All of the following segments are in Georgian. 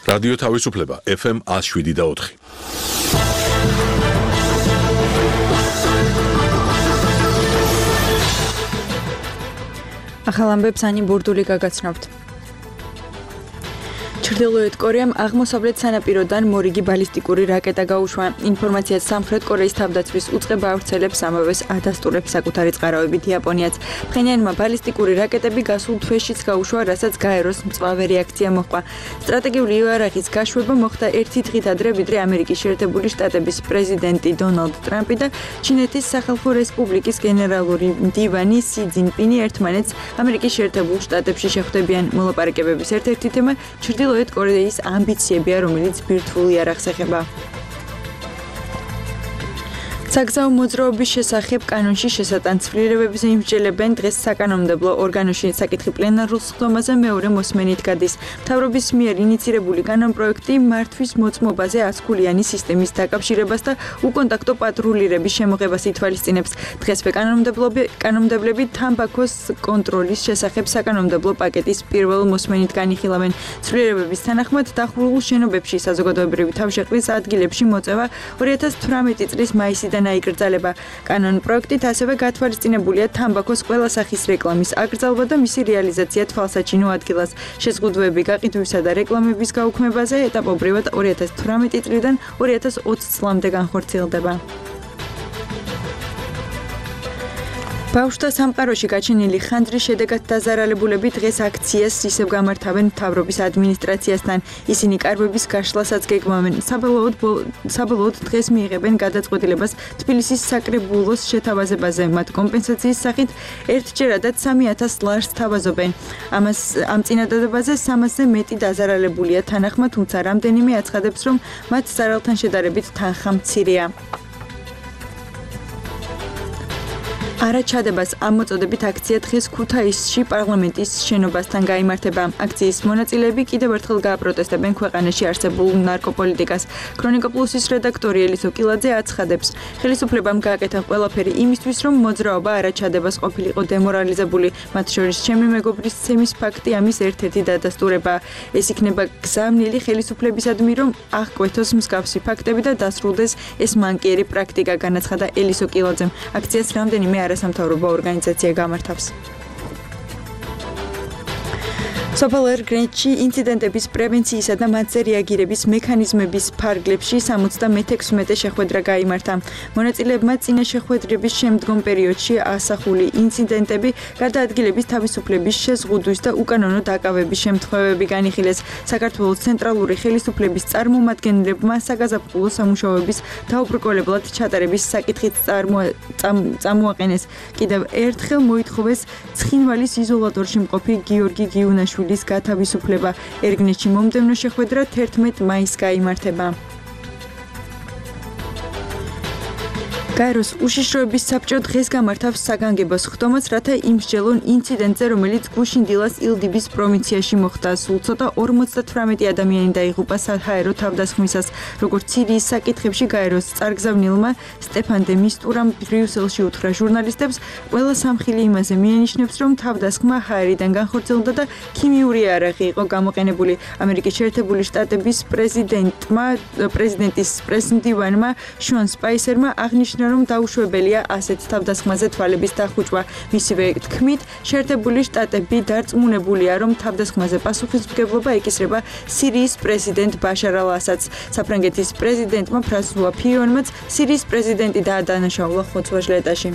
რადიო თავისუფლება FM 107.4. ახალ ამბებს ანი ბურდული გაგაცნობთ. ჩრდილოეთ კორეამ აღმოსავლეთ სანაპიროდან მორიგი ბალისტიკური რაკეტა გაუშვა. ინფორმაციას სამხრეთ კორეის თავდაცვის უწყება ავრცელებს ამავეს ადასტურებს საკუთარი წყარავებით იაპონიაც. ფხენიანმა ბალისტიკური რაკეტები გასულ თვეშიც გაუშვა, რასაც გაეროს მწვავე რეაქცია მოჰყვა. სტრატეგიული იარაღის გაშვება მოხდა ერთი დღით ადრე, ვიდრე ამერიკის შეერთებული შტატების პრეზიდენტი დონალდ ტრამპი და ჩინეთის სახალხო რესპუბლიკის გენერალური მდივანი სი ძინპინი ერთმანეთს ამერიკის შეერთებულ შტატებში შეხვდებიან. მოლაპარაკებების ერთ-ერთი თემა ჩრდილოეთ კორეის ამბიციებია, რომელიც ბირთვულ იარაღს ეხება. საგზაო მოძრაობის შესახებ კანონში შესატანცვლიერებებზე იმსჯელებენ დღეს საკანონმდებლო ორგანოში. საკითხი პლენარულ სხდომაზე მეორე მოსმენით გადის. მთავრობის მიერ ინიცირებული კანონპროექტი მართვის მოწმობაზე 100-ქულიანი სისტემის დაკავშირებას და უკონტაქტო პატრულირების შემოღებას ითვალისწინებს. დღესვე კანონმდებლები თამბაქოს კონტროლის შესახებ საკანონმდებლო პაკეტის პირველ მოსმენით განიხილავენ. ცვლიერებების თანახმად დახურულ შენობებში საზოგადოებრივი თავშეყრის ადგილებში მოწევა 2018 წლის მაისიდან იკრძალება. კანონპროექტით ასევე გათვალისწინებულია თამბაქოს ყველა სახის რეკლამის აკრძალვა და მისი რეალიზაცია თვალსაჩინო ადგილას. შეზღუდვები გაყიდვისა და რეკლამების გაუქმებაზე ეტაპობრივად 2018 წლიდან 2020 წლამდე განხორციელდება. ბავშვთა სამყაროში გაჩენილი ხანძრის შედეგად დაზარალებულები დღეს აქციას ისევ გამართავენ მთავრობის ადმინისტრაციასთან. ისინი კარვების გაშლასაც გეგმავენ. საბოლოოდ დღეს მიიღებენ გადაწყვეტილებას თბილისის საკრებულოს შეთავაზებაზე. მათ კომპენსაციის სახით ერთჯერადად 3,000 ლარს თავაზობენ. ამ წინადადებაზე 300-ზე მეტი დაზარალებულია თანახმა, თუმცა რამდენიმე აცხადებს, რომ მათ სარალთან შედარებით თანხა მცირეა. არაჩადებას ამ მოწოდებით აქცია დღეს ქუთაისში პარლამენტის შენობასთან გაიმართება. აქციის მონაწილეები კიდევ ერთხელ გააპროტესტებენ ქვეყანაში არსებულ ნარკოპოლიტიკას. ქრონიკა პლუსის რედაქტორი ელისო კილაძე აცხადებს, ხელისუფლებამ გააკეთა ყველაფერი იმისთვის, რომ მოძრაობა არაჩადებას ყოფილიყო დემორალიზებული. მათ შორის ჩემი მეგობრის ცემის ფაქტი ამის ერთ-ერთი დადასტურებაა. ეს იქნება გზავნილი ხელისუფლებისადმი, რომ აღკვეთოს მსგავსი ფაქტები და დასრულდეს ეს მანკიერი პრაქტიკა, განაცხადა ელისო კილაძემ. აქციას რამდენიმე არასამთავრობო ორგანიზაცია გამართავს. სოფელ ერგრენჩი ინციდენტების პრევენციისა და მათზე რეაგირების მექანიზმების ფარგლებში 76 შეხვედრა გაიმართა. მონაწილეებმა წინა შეხვედრების შემდგომ პერიოდში ასახული ინციდენტები, გადაადგილების თავისუფლების შეზღუდვის და უკანონო დაკავების შემთხვევები განიხილეს. საქართველოს ცენტრალური ხელისუფლების წარმომადგენლებმა საგაზაფხულო სამუშაოების დაუბრკოლებლად ჩატარების საკითხით წამოაყენეს. კიდევ ერთხელ მოითხოვეს ცხინვალის იზოლატორში მყოფი გიორგი გიუნაშვილი გათავისუფლება. ერგნეში მომდევნო შეხვედრა 11 მაისს გაიმართება. გაეროს უშიშროების საბჭო დღეს გამართავს საგანგებო სხდომას, რათა იმსჯელონ ინციდენტზე, რომელიც გუშინდილას ილდიბის პროვინციაში მოხდა. სულ ცოტა 58 ადამიანი დაიღუპა საჰაერო თავდასხმისას. როგორც სირიის საკითხებში გაეროს წარგზავნილმა სტეფან დე მისტურამ ბრიუსელში უთხრა ჟურნალისტებს, ყველა სამხილი იმაზე მიანიშნებს, რომ თავდასხმა ჰაერიდან განხორციელდა და ქიმიური იარაღი იყო გამოყენებული. ამერიკის შეერთებული შტატების პრეზიდენტის პრესმდივანმა შონ სპაისერმა აღნიშნა, რომ დაუშვებელია ასეთ თავდასხმაზე თვალების დახუჭვა. მისივე თქმით, შეერთებული შტატები დარწმუნებულია, რომ თავდასხმაზე პასუხისმგებლობა ეკისრება სირიის პრეზიდენტ ბაშარ ალ-ასადს. საფრანგეთის პრეზიდენტმა ფრანსუა ფიონმაც სირიის პრეზიდენტი დაადანაშაულა ხოცვა-ჟლეტაში.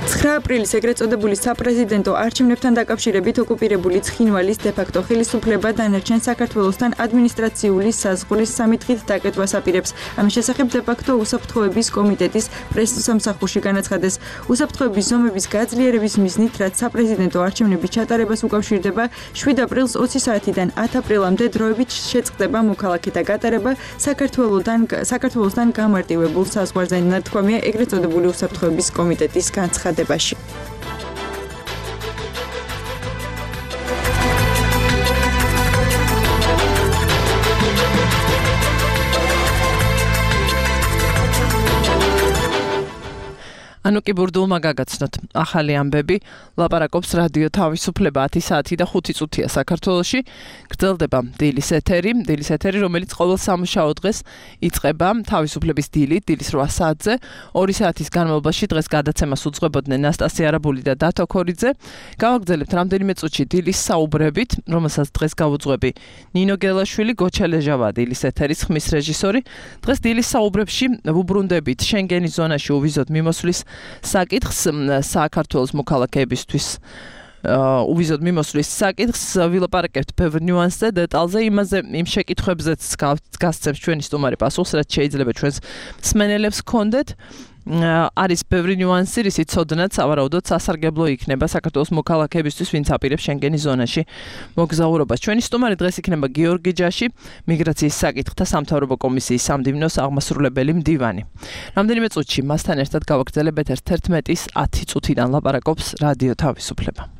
9 აპრილის ეგრეთ წოდებული საპრეზიდენტო არჩევნებთან დაკავშირებით ოკუპირებული ცხინვალის დე-ფაქტო ხელისუფლება დანარჩენ საქართველოსთან ადმინისტრაციული საზღვრის 3 დღით დაკეტვას აპირებს. ამის შესახებ დე-ფაქტო უსაფრთხოების კომიტეტის პრესსამსახურში განაცხადეს, უსაფრთხოების ზომების გაძლიერების მიზნით, რაც საპრეზიდენტო არჩევნების ჩატარებას უკავშირდება, 7 აპრილს 20 საათიდან 10 აპრილამდე დროებით შეწყდება მოქალაქეთა გატარება საქართველოსთან გამარტივებულ საზღვარზე. ნათქვამია ეგრეთ წოდებული უსაფრთხოების კომიტეტის განცხადებაში. ანუ კი ბურდულმა გაგაცნოთ ახალი ამბები ლაპარაკობს რადიო თავისუფლება 10 საათი და 5 წუთია საქართველოში გრძელდება დილის ეთერი რომელიც ყოველ სამუშაო დღეს იწყება თავისუფლების დილით დილის 8 საათზე 2 საათის განმავლობაში დღეს გადაცემას უძღვებოდნენ ნასტასია არაბული და დათო ქორიძე გავაგრძელებთ რამდენიმე წუთში დილის საუბრებით რომელსაც დღეს გავუძღვები ნინო გელაშვილი გოჩელეჟავა დილის ეთერის ხმის რეჟისორი დღეს დილის საუბრებში ვუბრუნდებით შენგენის ზონაში უვიზოთ მიმოსვლის საკითხს საქართველოს მოქალაქეებისთვის უვიზოთ მიმოსვლის საკითხს ვილაპარაკებთ ბევრ ნიუანსზე დეტალზე იმაზე იმ შეკითხვებზეც გასცემს ჩვენი სტუმარი პასუხს რაც შეიძლება ჩვენს მსმენელებს გქონდეთ არის ბევრი ნიუანსი რისიც ცოდნაც ავარაუდოდ სასარგებლო იქნება საქართველოს მოქალაქეებისთვის ვინც აპირებს შენგენის ზონაში მოგზაურობას ჩვენი სტუმარი დღეს იქნება გიორგი ჯაში მიგრაციის საკითხთა სამთავრობო კომისიის სამდივნოს აღმასრულებელი მდივანი რამდენიმე წუთში მასთან ერთად გავაგრძელებთ 11-ის 10 წუთიდან ლაპარაკობს რადიო თავისუფლება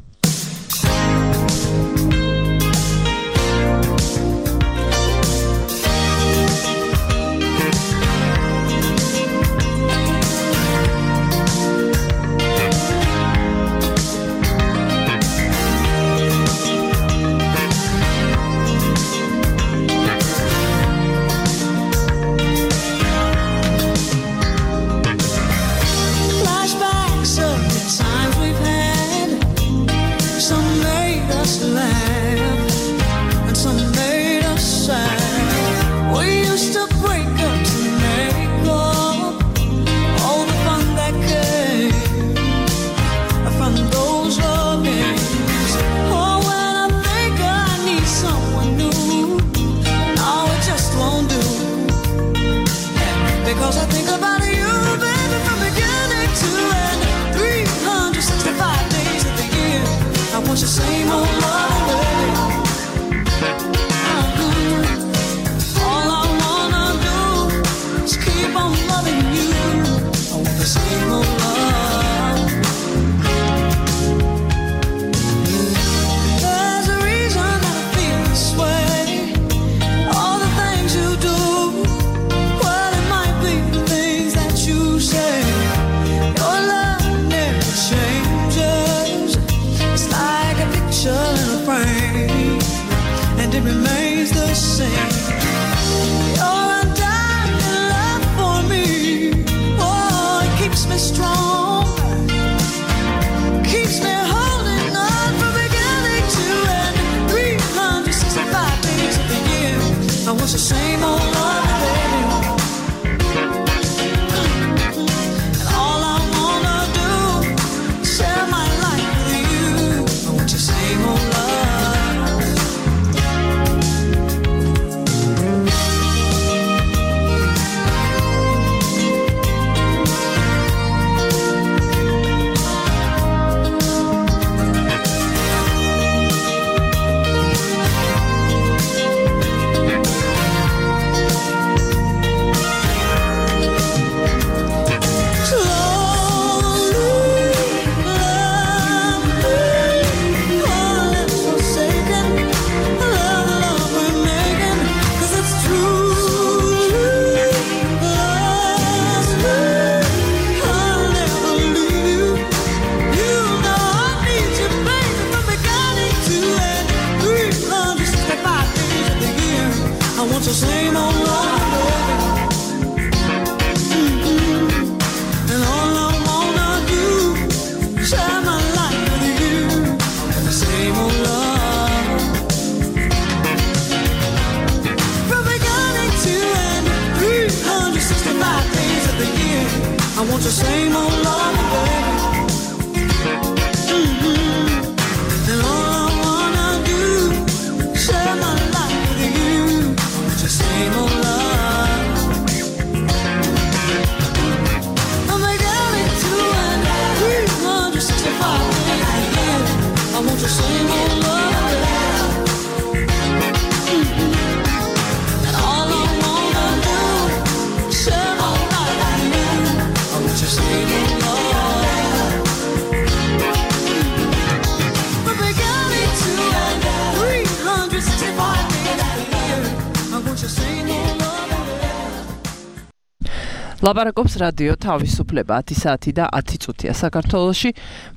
ლაპარაკობს რადიო თავისუფლება 10 საათი და 10 წუთია საქართველოში.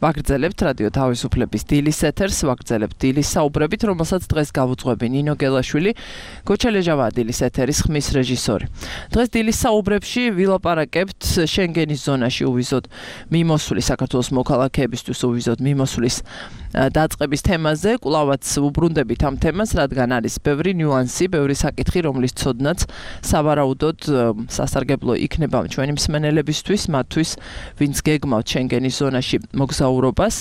ვაგრძელებთ რადიო თავისუფლების დილის ეთერს, ვაგრძელებთ დილის საუბრებით, რომელსაც დღეს გავუძღვები ნინო გელაშვილი, გოჩელეჟავა დილის ეთერის ხმის რეჟისორი. დღეს დილის საუბრებში ვილაპარაკებთ შენგენის ზონაში უვიზოდ მიმოსვლის საქართველოს მოქალაქეებისთვის უვიზოდ მიმოსვლის დაწყების თემაზე, კვლავაც უბრუნდებით ამ თემას, რადგან არის ბევრი ნიუანსი, ბევრი საკითხი, რომლის ცოდნაც სავარაუდოდ სასარგებლო იქნება ჩვენი მსმენელებისთვის, მათთვის, ვინც გეგმავთ შენგენის ზონაში მოგზაურობას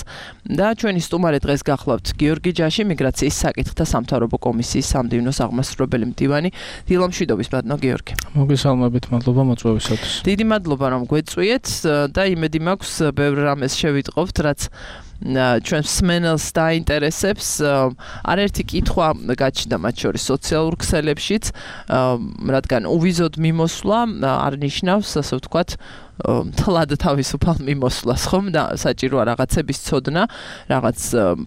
და ჩვენი სტუმარი დღეს გახლავთ გიორგი ჯაში, მიგრაციის საკითხთა სამთავრობო კომისიის სამდივნოს აღმასრულებელი მდივანი. დილამშვიდობის ბატონო გიორგი. მოგესალმებით, მადლობა მოწვევისათვის. დიდი მადლობა რომ გვეწვიეთ და იმედი მაქვს ბევრ რამეს შევიტყობთ, რაც ჩვენ მსმენელს დაინტერესებს. არაერთი კითხვა გაჩნდა მათ შორის სოციალურ ქსელებშიც, რადგან უვიზოდ მიმოსვლა არ ნიშნავს, ასე ვთქვათ, თლად თავისუფალ მიმოსვლას, ხომ? და საჭიროა რაღაცების ცოდნა, რაღაც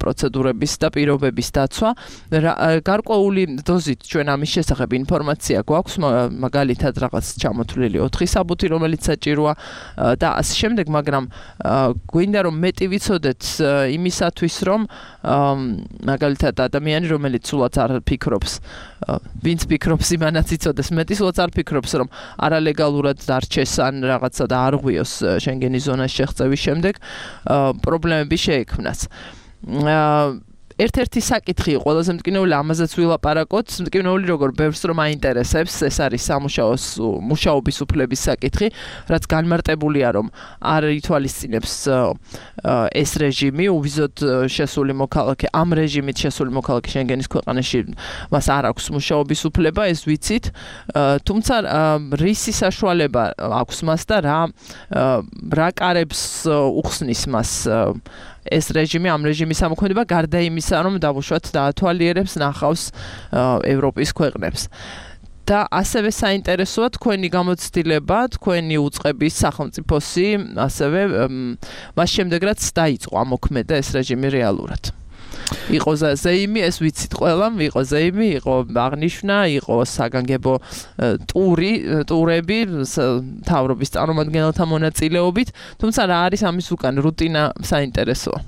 პროცედურების და პირობების დაცვა. გარკვეული დოზით ჩვენ ამის შესახებ ინფორმაცია გვაქვს, მაგალითად რაღაც ჩამოთვლილი 4 საბუთი, რომელიც საჭიროა და ასე შემდეგ, მაგრამ გვინდა რომ მეტი ვიცოდეთ იმისათვის, რომ მაგალითად ადამიანი, რომელიც სულაც არ ფიქრობს, ვინც ფიქრობს იმანაც იცოდეს, მეტი სულაც არ ფიქრობს, რომ არალეგალურად დარჩეს ან რაღაცა და არ ღვიოს შენგენის ზონაში შეღწევის შემდეგ პრობლემები შეექმნას. ერთ-ერთი საკითხი ყველაზე მტკივნეული, ამაზეც ვილაპარაკოთ, მტკივნეული როგორ ბევრს რომ აინტერესებს, ეს არის მუშაობის უფლების საკითხი, რაც განმარტებულია, რომ არ ითვალისწინებს ეს რეჟიმი, უვიზოდ შესული მოქალაქე, ამ რეჟიმით შესული მოქალაქე შენგენის ქვეყანაში მას არ აქვს მუშაობის უფლება, ეს ვიცით, თუმცა რისი საშუალება აქვს მას და რა კარებს უხსნის მას ეს რეჟიმი, ამ რეჟიმის ამოქმედება, გარდა იმისა, რომ დავუშვათ დაათვალიერებს, ნახავს ევროპის ქვეყნებს. და ასევე საინტერესოა თქვენი გამოცდილება, თქვენი უწყების სახელმწიფოსი, ასევე მას შემდეგ რაც დაიწყო ამოქმედა ეს რეჟიმი რეალურად. იყო ზეიმი, ეს ვიცით ყველამ, იყო ზეიმი, იყო აღნიშვნა, იყო საგანგებო ტურები, მთავრობის წარმომადგენელთა მონაწილეობით, თუმცა რა არის ამის უკან რუტინა საინტერესოა.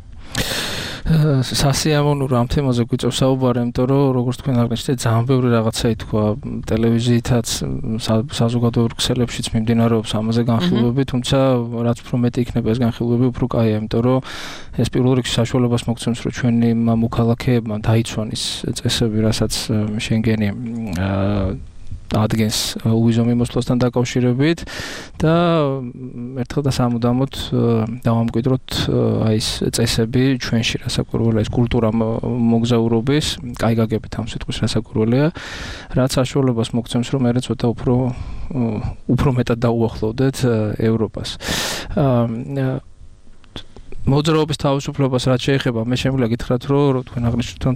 სასიამოვნო ამ თემაზე გვიწევს საუბარი, იმიტომ რომ როგორც თქვენ აღნიშნეთ, ძალიან ბევრი რაღაცა ითქვა ტელევიზიითაც, საზოგადოებრივ ქსელებშიც მიმდინარეობს ამაზე განხილვები, თუმცა რაც უფრო მეტი იქნება ეს განხილვები, უფრო კაია, იმიტომ რომ ეს პირველ რიგში საშუალებას მოგცემს, რომ ჩვენი მოქალაქეებმა დაიცვან ის წესები, რასაც შენგენი ადგენს უვიზო მიმოსვლასთან დაკავშირებით და ერთხელ და სამუდამოდ დავამკვიდროთ აი ეს წესები ჩვენში, რასაკვირველია ეს კულტურა მოგზაურობის, კაი გაგებით ამ სიტყვის რასაკვირველია, რაც საშუალებას მოგცემს, რომ მე ცოტა უფრო მეტად დაუახლოვდეთ ევროპას. მოძრაობის თავისუფლებას რაც შეეხება, მე შემიძლია გითხრათ, რომ თქვენ აღნიშნეთ, რომ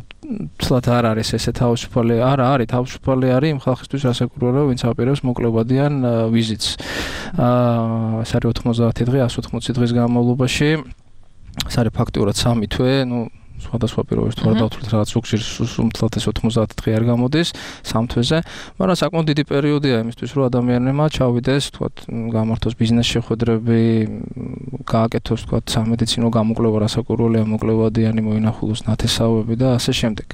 თლად არ არის ესე თავისუფალი, არა არის თავისუფალი არის იმ ხალხისთვის, რასაკვირველია, ვინც აპირებს მოკლებადიან ვიზიტს. ეს არის 90 დღე, 180 დღის განმავლობაში. ეს არის ფაქტიურად 3 თვე, სხვადასხვა პირობებს თუ არ დავთვლით რაღაც ზოგჯერ სუმთლად ეს 90 დღე არ გამოდის 3 თვეზე, მაგრამ საკმაოდ დიდი პერიოდია იმისთვის, რომ ადამიანებმა ჩავიდეს, თქვათ, გამართოს ბიზნეს შეხვედრები, გააკეთოს, თქვათ, სამედიცინო გამოკვლევა, რასაკვირველია, მოკლებადიანი მოინახულოს ნათესავები და ასე შემდეგ.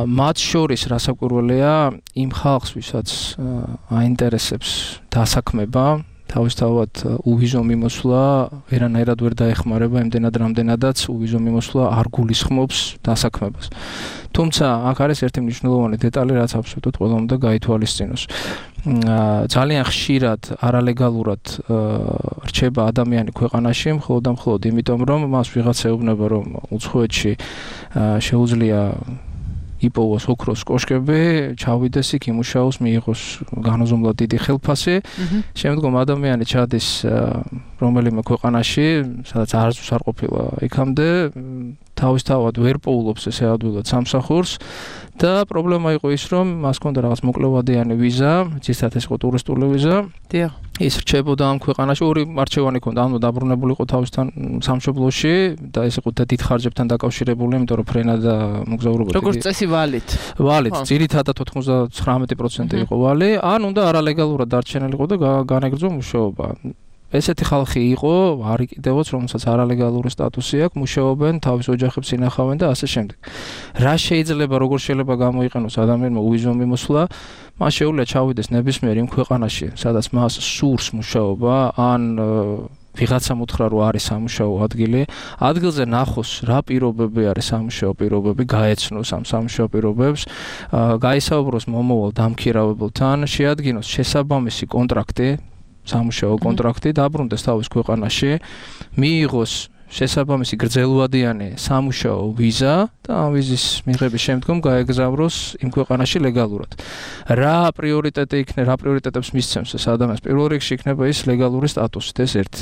მათ შორის რასაკვირველია იმ ხალხს, ვისაც აინტერესებს დასაქმება, თავისთავად უვიზო მიმოსვლა ვერანაირად ვერ დაეხმარება იმდენად რამდენადაც უვიზო მიმოსვლა არ გულისხმობს დასაქმებას. თუმცა აქ არის ერთი მნიშვნელოვანი დეტალი, რაც აბსოლუტურად ყველამ უნდა გაითვალისწინოს. ძალიან ხშირად არალეგალურად რჩება ადამიანი ქვეყანაში მხოლოდ და მხოლოდ იმიტომ, რომ მას ვიღაცა ეუბნება, რომ უცხოეთში შეუძლია იპოვოს ოქროს კოშკები, ჩავიდეს იქ, იმუშაოს, მიიღოს განუზომლად დიდი ხელფასი. შემდგომ ადამიანი ჩადის რომელიმე ქვეყანაში, სადაც არასდროს არ ყოფილა იქამდე, თავისთავად ვერ პოულობს ესე ადვილად სამსახურს და პრობლემა იყო ის, რომ მას ჰქონდა რაღაც მოკლევადიანი ვიზა, ძირითადად ეს იყო ტურისტული ვიზა. დიახ. ის რჩებოდა ამ ქვეყანაში, ორი არჩევანი ჰქონდა, ანუ დაბრუნებული იყო თავისთან სამშობლოში და ეს იყო დიდ ხარჯებთან დაკავშირებული, იმიტომ რომ ფრენა და მოგზაურობა როგორც წესი ვალით. ვალით, ძირითადად 99% იყო ვალი, ან უნდა არალეგალურად დარჩენილიყო და განეგრძო მუშაობა. ესეთი ხალხი იყო, არ იყიდევოც, რომელსაც არალეგალური სტატუსი აქვს, მუშაობენ, თავის ოჯახებს ინახავენ და ასე შემდეგ. რა შეიძლება, როგორ შეიძლება გამოიყენოს ადამიანმა უვიზო მიმოსვლა, მას შეუძლია ჩავიდეს ნებისმიერ იმ ქვეყანაში, სადაც მას სურს მუშაობა, ან ვიღაცა მოთხრა რომ არის სამუშაო ადგილი, ადგილზე ნახოს რა პირობები არის სამუშაო პირობები, გაეცნოს ამ სამუშაო პირობებს, გაისაუბროს მომავალ დამქირავებელთან, შეადგინოს შესაბამისი კონტრაქტი, სამუშაო კონტრაქტი, დაბრუნდეს თავის ქვეყანაში, მიიღოს შესაბამისი გრძელვადიანი სამუშაო ვიზა და ამ ვიზის მიღების შემდგომ გაეგზავროს იმ ქვეყანაში ლეგალურად. რა პრიორიტეტებს მისცემს ეს ადამიანს? პირველ რიგში იქნება ის ლეგალური სტატუსით, ეს ერთი.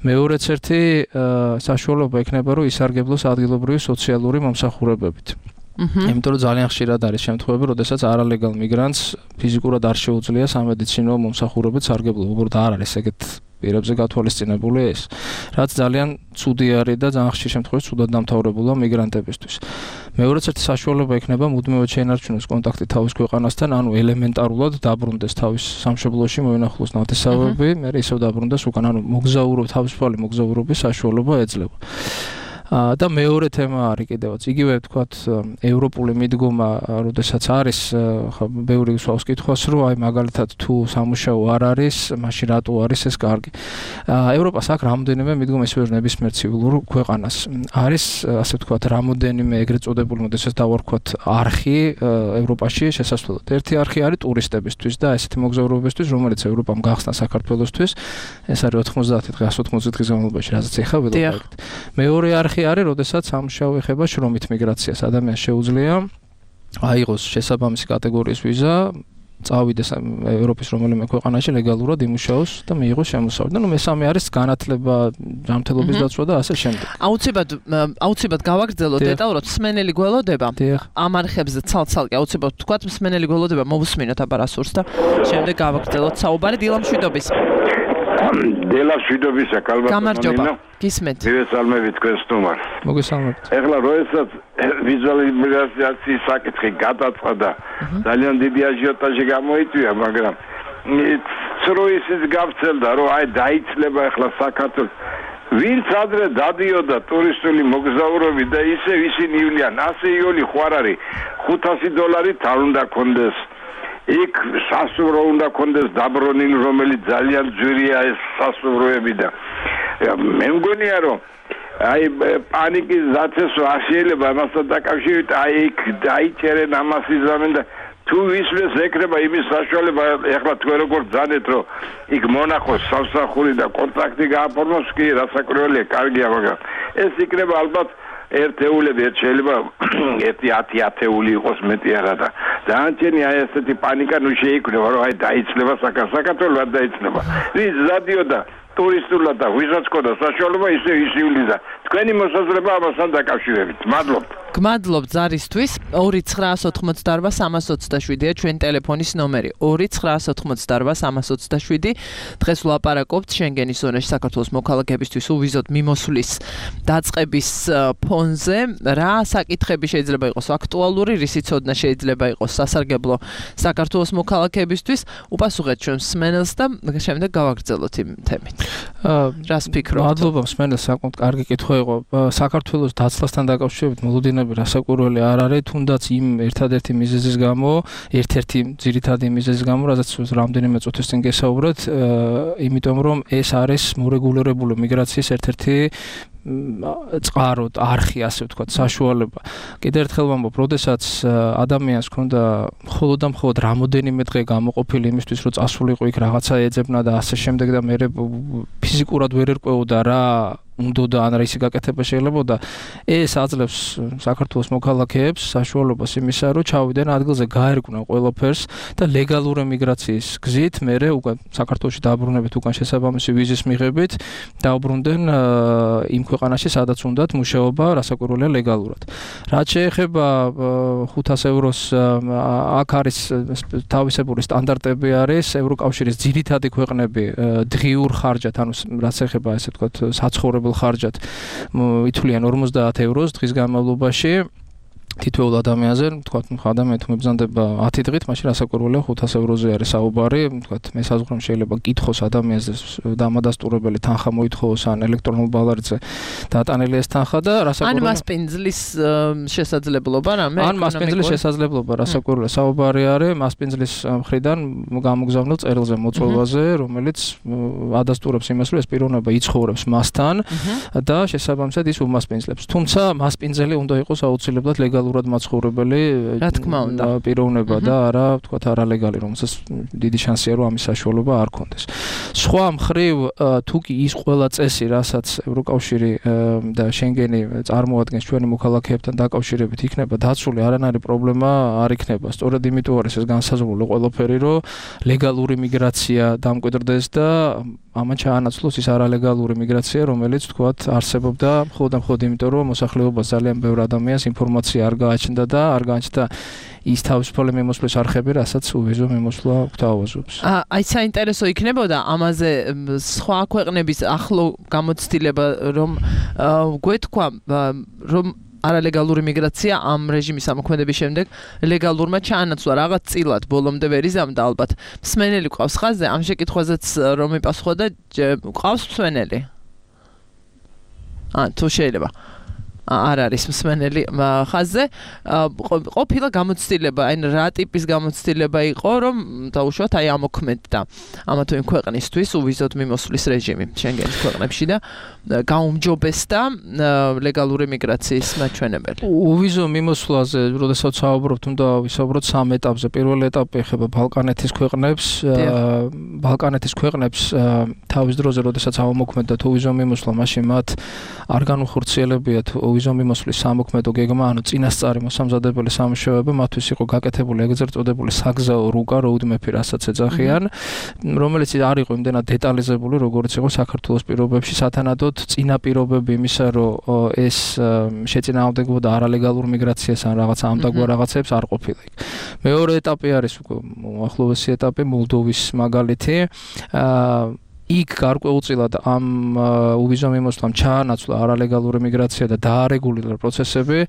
მეორეც ერთი საშუალება იქნება, რომ ისარგებლოს ადგილობრივი სოციალური მომსახურებებით. იმიტომ რომ ძალიან ხშირად არის შემთხვევები, როდესაც არალეგალ მიგრანტს ფიზიკურად არ შეუძლია სამედიცინო მომსახურებით სარგებლობა, უბრალოდ არ არის ეგეთ პირებზე გათვალისწინებული ეს, რაც ძალიან ცუდი არის და ძალიან ხშირ შემთხვევაში ცუდად დამთავრებულა მიგრანტებისთვის. მეორეც ერთი საშუალება იქნება მუდმივად შეინარჩუნოს კონტაქტი თავის ქვეყანასთან, ანუ ელემენტარულად დაბრუნდეს თავის სამშობლოში, მოინახულოს ნათესავები, მერე ისევ დაბრუნდეს უკან, ანუ თავისუფალი მოგზაურობის საშუალება ეძლევა. და მეორე თემა არის კიდევაც იგივე თქვათ ევროპული მიდგომა, როდესაც არის ბევრი უსვავს კითხვას, რომ აი მაგალითად თუ სამუშაო არ არის, მაშინ რატო არის ეს კარგი. ევროპას აქვს რამოდენიმე მიდგომა, ისევე ნებისმიერ ცივილურ ქვეყანას. არის ასე ვთქვათ რამოდენიმე ეგრეთ წოდებული, როდესაც დავარქვათ არხი ევროპაში შესასვლელად. ერთი არხი არის ტურისტებისთვის და ესეთი მოგზაურობისთვის, რომელიც ევროპამ გახსნა საქართველოსთვის. ეს არის 90 დღე, 180 დღის განმავლობაში, რასაც ეხა ველოდებით. მეორე არხი არის, როდესაც სამუშაო ეხება შრომით მიგრაციას, ადამიანს შეუძლია აიღოს შესაბამისი კატეგორიის ვიზა, წავიდეს ევროპის რომელიმე ქვეყანაში ლეგალურად იმუშაოს და მიიღოს შემოსავალი. და მესამე არის განათლება, ჯანმრთელობის დაცვა და ასე შემდეგ. აუცილებლად გავაგრძელოთ დეტალურად მსმენელი გველოდება. ამ არხებზე ცალ-ცალკე აუცილებლად თქვათ მსმენელი გველოდება მოვუსმინოთ აბარასურს და შემდეგ გავაგრძელოთ საუბარი დილამშვიდობის. დილამშვიდობისა, კალბატონო. გამარჯობა. გისმენთ. მოგესალმებით თქვენ სტუმარს. მოგესალმებით. ეხლა როდესაც ვიზუალიზაციის საკითხი გადაწყდა, ძალიან დიდი აჟიოტაჟი გამოიწვია, მაგრამ ცრუისიც გავცელდა, რომ აი დაიცლება ეხლა საქართველოს. ვინც ადრე დადიოდა ტურისტული მოგზაურობით და ისე ისინი ივლიან, ასე იოლი ხوار არის, $500 თან უნდა კონდეს. იქ სასურვო უნდა კონდეს დაბრუნილ, რომელიც ძალიან ძვირია ეს სასურვოები და მე მგონია რომ აი პანიკის დაცესო არ შეიძლება ამასთან დაკავშირებით, აი იქ დაიჭერენ ამას იზამენ და თუ ისმის ეკრება იმის საშუალება, ეხლა თქვენ როგორ ძანეთ რომ იქ მონახოს სამსახური და კონტრაქტი გააფორმოს, კი რასაკვირველია, კარგია, მაგრამ ეს იქნება ალბათ ერთეულები, შეიძლება 10 ათეული იყოს მეტი არა და დაანჩენი აი ესეთი პანიკა ნუ შეიქმნება, რომ აი დაიცლება საქართველოს არ დაიცლება. ვინც დადიოდა ტურისტულად და ვიზაც ყოდა საშუალება ისე ისივლიდა. თქვენი მოსაზრება ამასთან დაკავშირებით. მადლობთ. გმადლობ ზარისთვის. 2988327-ია ჩვენ ტელეფონის ნომერი. 2988327. დღეს ვლაპარაკობთ შენგენის ზონაში საქართველოს მოქალაქეებისთვის უვიზოდ მიმოსვლის დაწყების ფონზე. რა საკითხები შეიძლება იყოს აქტუალური, რისი ცოდნა შეიძლება იყოს სასარგებლო საქართველოს მოქალაქეებისთვის? უპასუხეთ ჩვენ მსმენელს და შემდეგ გავაგრძელოთ იმ თემით. რას ფიქრობთ? მადლობა მსმენელს, საკმაოდ კარგი კითხვა იყო. საქართველოს დაცლასთან დაკავშირებით მოლოდინები რასაკვირველი არ არის, თუნდაც იმ ერთადერთი მიზეზის გამო, ერთ-ერთი ძირითადი მიზეზის გამო, რასაც რამდენიმე წუთის წინ გესაუბრეთ, იმიტომ რომ ეს არის მორეგულირებული მიგრაციის ერთ-ერთი წყარო, არხი, ასე ვთქვათ, საშუალება. კიდევ ერთხელ ვამბობ, როდესაც ადამიანს ჰქონდა მხოლოდ და მხოლოდ რამოდენიმე დღე გამოყოფილი იმისთვის, რომ წასულიყო იქ რაღაცა ეძებნა და ასე შემდეგ და მე ფიზიკურად ვერ ერკვეოდა რა უნდა ან რისი გაკეთება შეიძლება და ეს აძლევს საქართველოს მოქალაქეებს საშუალებას იმისა, რომ ჩავიდნენ ადგილზე, გაერკვნენ ყველაფერს და ლეგალური მიგრაციის გზით მერე უკვე საქართველოში დაბრუნებით უკან შესაბამისი ვიზის მიღებით დაუბრუნდნენ იმ ქვეყანაში, სადაც უნდათ მუშაობა, რასაკვირველია ლეგალურად. რაც შეეხება 500 ევროს აქ არის თავისებური სტანდარტები არის ევროკავშირის ძირითადი ქვეყნები დღიურ ხარჯად, ანუ რაც ეხება ესე ვთქვათ საცხოვრებელ ხარჯად ითვლიან 50 ევროს დღის განმავლობაში თითოეულ ადამიანზე, ვთქვათ, ადამიანი თუ მებრძანდება 10 დღით, მაშინ რასაკვირველია 500 ევროზე არის საუბარი, ვთქვათ, მე საზღვრამ შეიძლება კითხოს ადამიანზე დამადასტურებელი თანხა მოითხოვოს ან ელექტრონულ ბალარზე დატანილი ეს თანხა და რასაკვირველია. ან მასპინძლის შესაძლებლობა რამე? ან მასპინძლის შესაძლებლობა, რასაკვირველია საუბარი არის მასპინძლის მხრიდან გამოგზავნილ წერილზე მოწვევაზე, რომელიც ადასტურებს იმას, რომ ეს პიროვნება იცხოვრებს მასთან და შესაბამისად ის უმასპინძლებს. თუმცა მასპინძელი უნდა იყოს აუცილებლად ლეგალურად მაცხოვრებელი პიროვნება და არა, ვთქვათ, არალეგალი, რომელსაც დიდი შანსია, რომ ამის საშუალება არ ქონდეს. სხვა მხრივ, თუ კი ის ყველა წესი, რასაც ევროკავშირი და შენგენი წარმოადგენს ჩვენი მოქალაქეებთან დაკავშირებით, იქნება დაცული, არანაირი პრობლემა არ იქნება. სწორედ იმიტომ არის ეს განსაზღვრული ყველაფერი, რომ ლეგალური მიგრაცია დამკვიდრდეს და ამან ჩაანაცვლოს ის არალეგალური მიგრაცია, რომელიც ვთქვათ არსებობდა მხოლოდ იმიტომ, რომ მოსახლეობას ძალიან ბევრ ადამიანს ინფორმაცია არ გააჩნდა და არ გააჩნდა ის თავისუფალი მიმოსვლის არხები, რასაც უვიზო მიმოსვლა გვთავაზობს. აი საინტერესო იქნებოდა ამაზე სხვა ქვეყნების ახლო გამოცდილება, რომ გვეთქვა, რომ არალეგალური მიგრაცია ამ რეჟიმის ამოქმედების შემდეგ ლეგალურმა ჩაანაცვლა რაღაც წილად, ბოლომდე ვერ იზამდა ალბათ. მსმენელი ყავს ხაზზე, ამ შეკითხვაზეც რომ მიპასუხო და ყავს მსმენელი? თუ შეიძლება. არ არის მსმენელი ხაზზე. ყოფილა გამოცდილება, აი რა ტიპის გამოცდილება იყო, რომ დაუშვათ აი ამოქმედდა ამა თუ იმ ქვეყნისთვის უვიზოდ მიმოსვლის რეჟიმი შენგენის ქვეყნებში და გაუმჯობესდა ლეგალური მიგრაციის მაჩვენებელი. უვიზო მიმოსვლაზე, როდესაც საუბრობთ, უნდა ვისაუბროთ 3 ეტაპზე. პირველი ეტაპი ეხება ბალკანეთის ქვეყნებს. ბალკანეთის ქვეყნებს თავის დროზე, როდესაც ამოქმედდა უვიზო მიმოსვლა, მაშინ მათ არ განუხორციელებიათ უვიზო მიმოსვლის სამოქმედო გეგმა, ანუ წინასწარი მოსამზადებელი სამუშაოები, მათთვის იყო გაკეთებული ეგრეთ წოდებული საგზაო რუკა, roadmap-ი, რასაც ეძახიან, რომელიც არ იყო იმდენად დეტალიზებული, როგორც იყო საქართველოს პირობებში, სათანადოდ წინა პირობები იმისა, რომ ეს შეწინააღმდეგებოდა არალეგალურ მიგრაციას ან რაღაც ამდაგوار რაღაცებს არ ყოფილა იქ. მეორე ეტაპი არის უკვე უახლოესი ეტაპი, მოლდოვის მაგალითი. იქ გარკვეულწილად ამ უვიზო მიმოსვლამ ჩაანაცვლა არალეგალური მიგრაცია და დაარეგულირა პროცესები,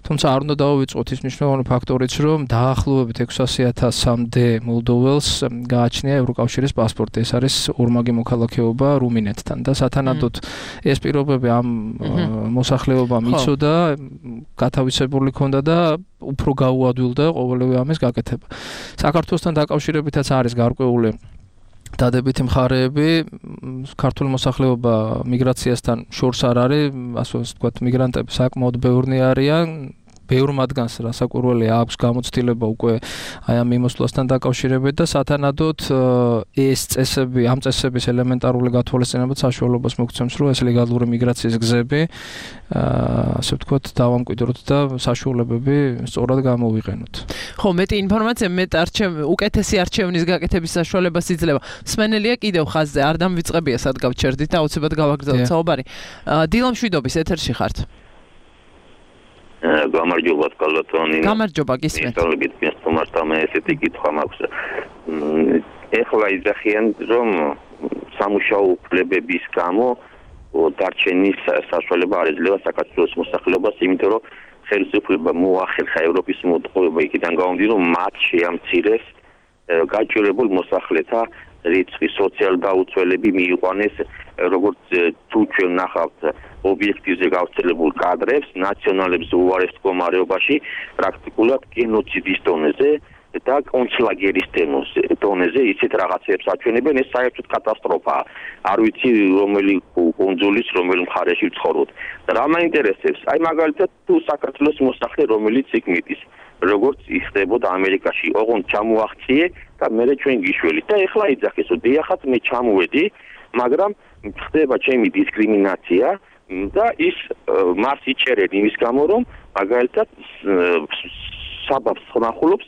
თუმცა არ უნდა დავივიწყოთ ის მნიშვნელოვანი ფაქტორიც, რომ დაახლოებით 600,000-მდე მოლდოველს გააჩნია ევროკავშირის პასპორტი. ეს არის ორმაგი მოქალაქეობა რუმინეთთან და სათანადოდ ეს პირობები ამ მოსახლეობამ იცოდა, გათავისებული ქონდა და უფრო გაუადვილდა ყოველივე ამის გაკეთება. საქართველოსთან დაკავშირებითაც არის გარკვეული დადებითი მხარეები, ქართული მოსახლეობა მიგრაციასთან შორს არ არის, ასე ვთქვათ, მიგრანტები საკმაოდ ბევრნი არიან. ბევრ მათგანს რასაკვირველია აქვს გამოცდილება უკვე აი ამ მიმოსვლასთან დაკავშირებით და სათანადოდ ეს წესები, ამ წესების ელემენტარული გათვალისწინებაც საშუალებას მოგცემს, რომ ეს ლეგალური მიგრაციის გზები, ასე ვთქვათ, დავამკვიდროთ და საშუალებები სწორად გამოვიყენოთ. ხო, მეტი ინფორმაცია, უკეთესი არჩევნის გაკეთების საშუალებას იძლევა. მსმენელია კიდევ ხაზზე, არ დამვიწყებია სად გავჩერდით და აუცილებლად გავაგრძელოთ საუბარი. დილა მშვიდობის ეთერში ხართ. გამარჯობა კალათონი. გამარჯობა, გისმენთ. მე ესეთი კითხვა მაქვს. ეხლა იძახიან, რომ სამუშაო უფლებების გამო დარჩენის საშუალება არ ეძლევა საქართველოს მოსახლეობას, იმიტომ რომ ხელისუფლება მოახერხა ევროპის მოტყუება იქიდან გამომდინარე, რომ მათ შეამცირეს გაჭირებულ მოსახლეთა რიცხვი, სოციალური გაუცველები მიიყვანეს, როგორც თუ ჩვენ ნახავთ ობიექტივზე გავრცელებულ კადრებს, ნაციონალებს უარეს მდგომარეობაში, პრაქტიკულად გენოციდის დონეზე და კონცლაგერის დონეზე ისეთ რაღაცებს აჩვენებენ, ეს საერთოდ კატასტროფაა. არ ვიცი რომელი კუნძულის, რომელ მხარეში ვცხოვრობთ. და რა მაინტერესებს? აი მაგალითად თუ საქართველოს მოსახლე რომელიც იქ მიდის, როგორც იხდებოდა ამერიკაში, ოღონდ ჩამოაღწიე და მერე ჩვენ გიშველი. და ეხლა იძახეს, რომ დიახაც მე ჩამოვედი, მაგრამ ხდება ჩემი დისკრიმინაცია და ის მას იჭერენ იმის გამო რომ მაგალითად საბაბს ხმახულობს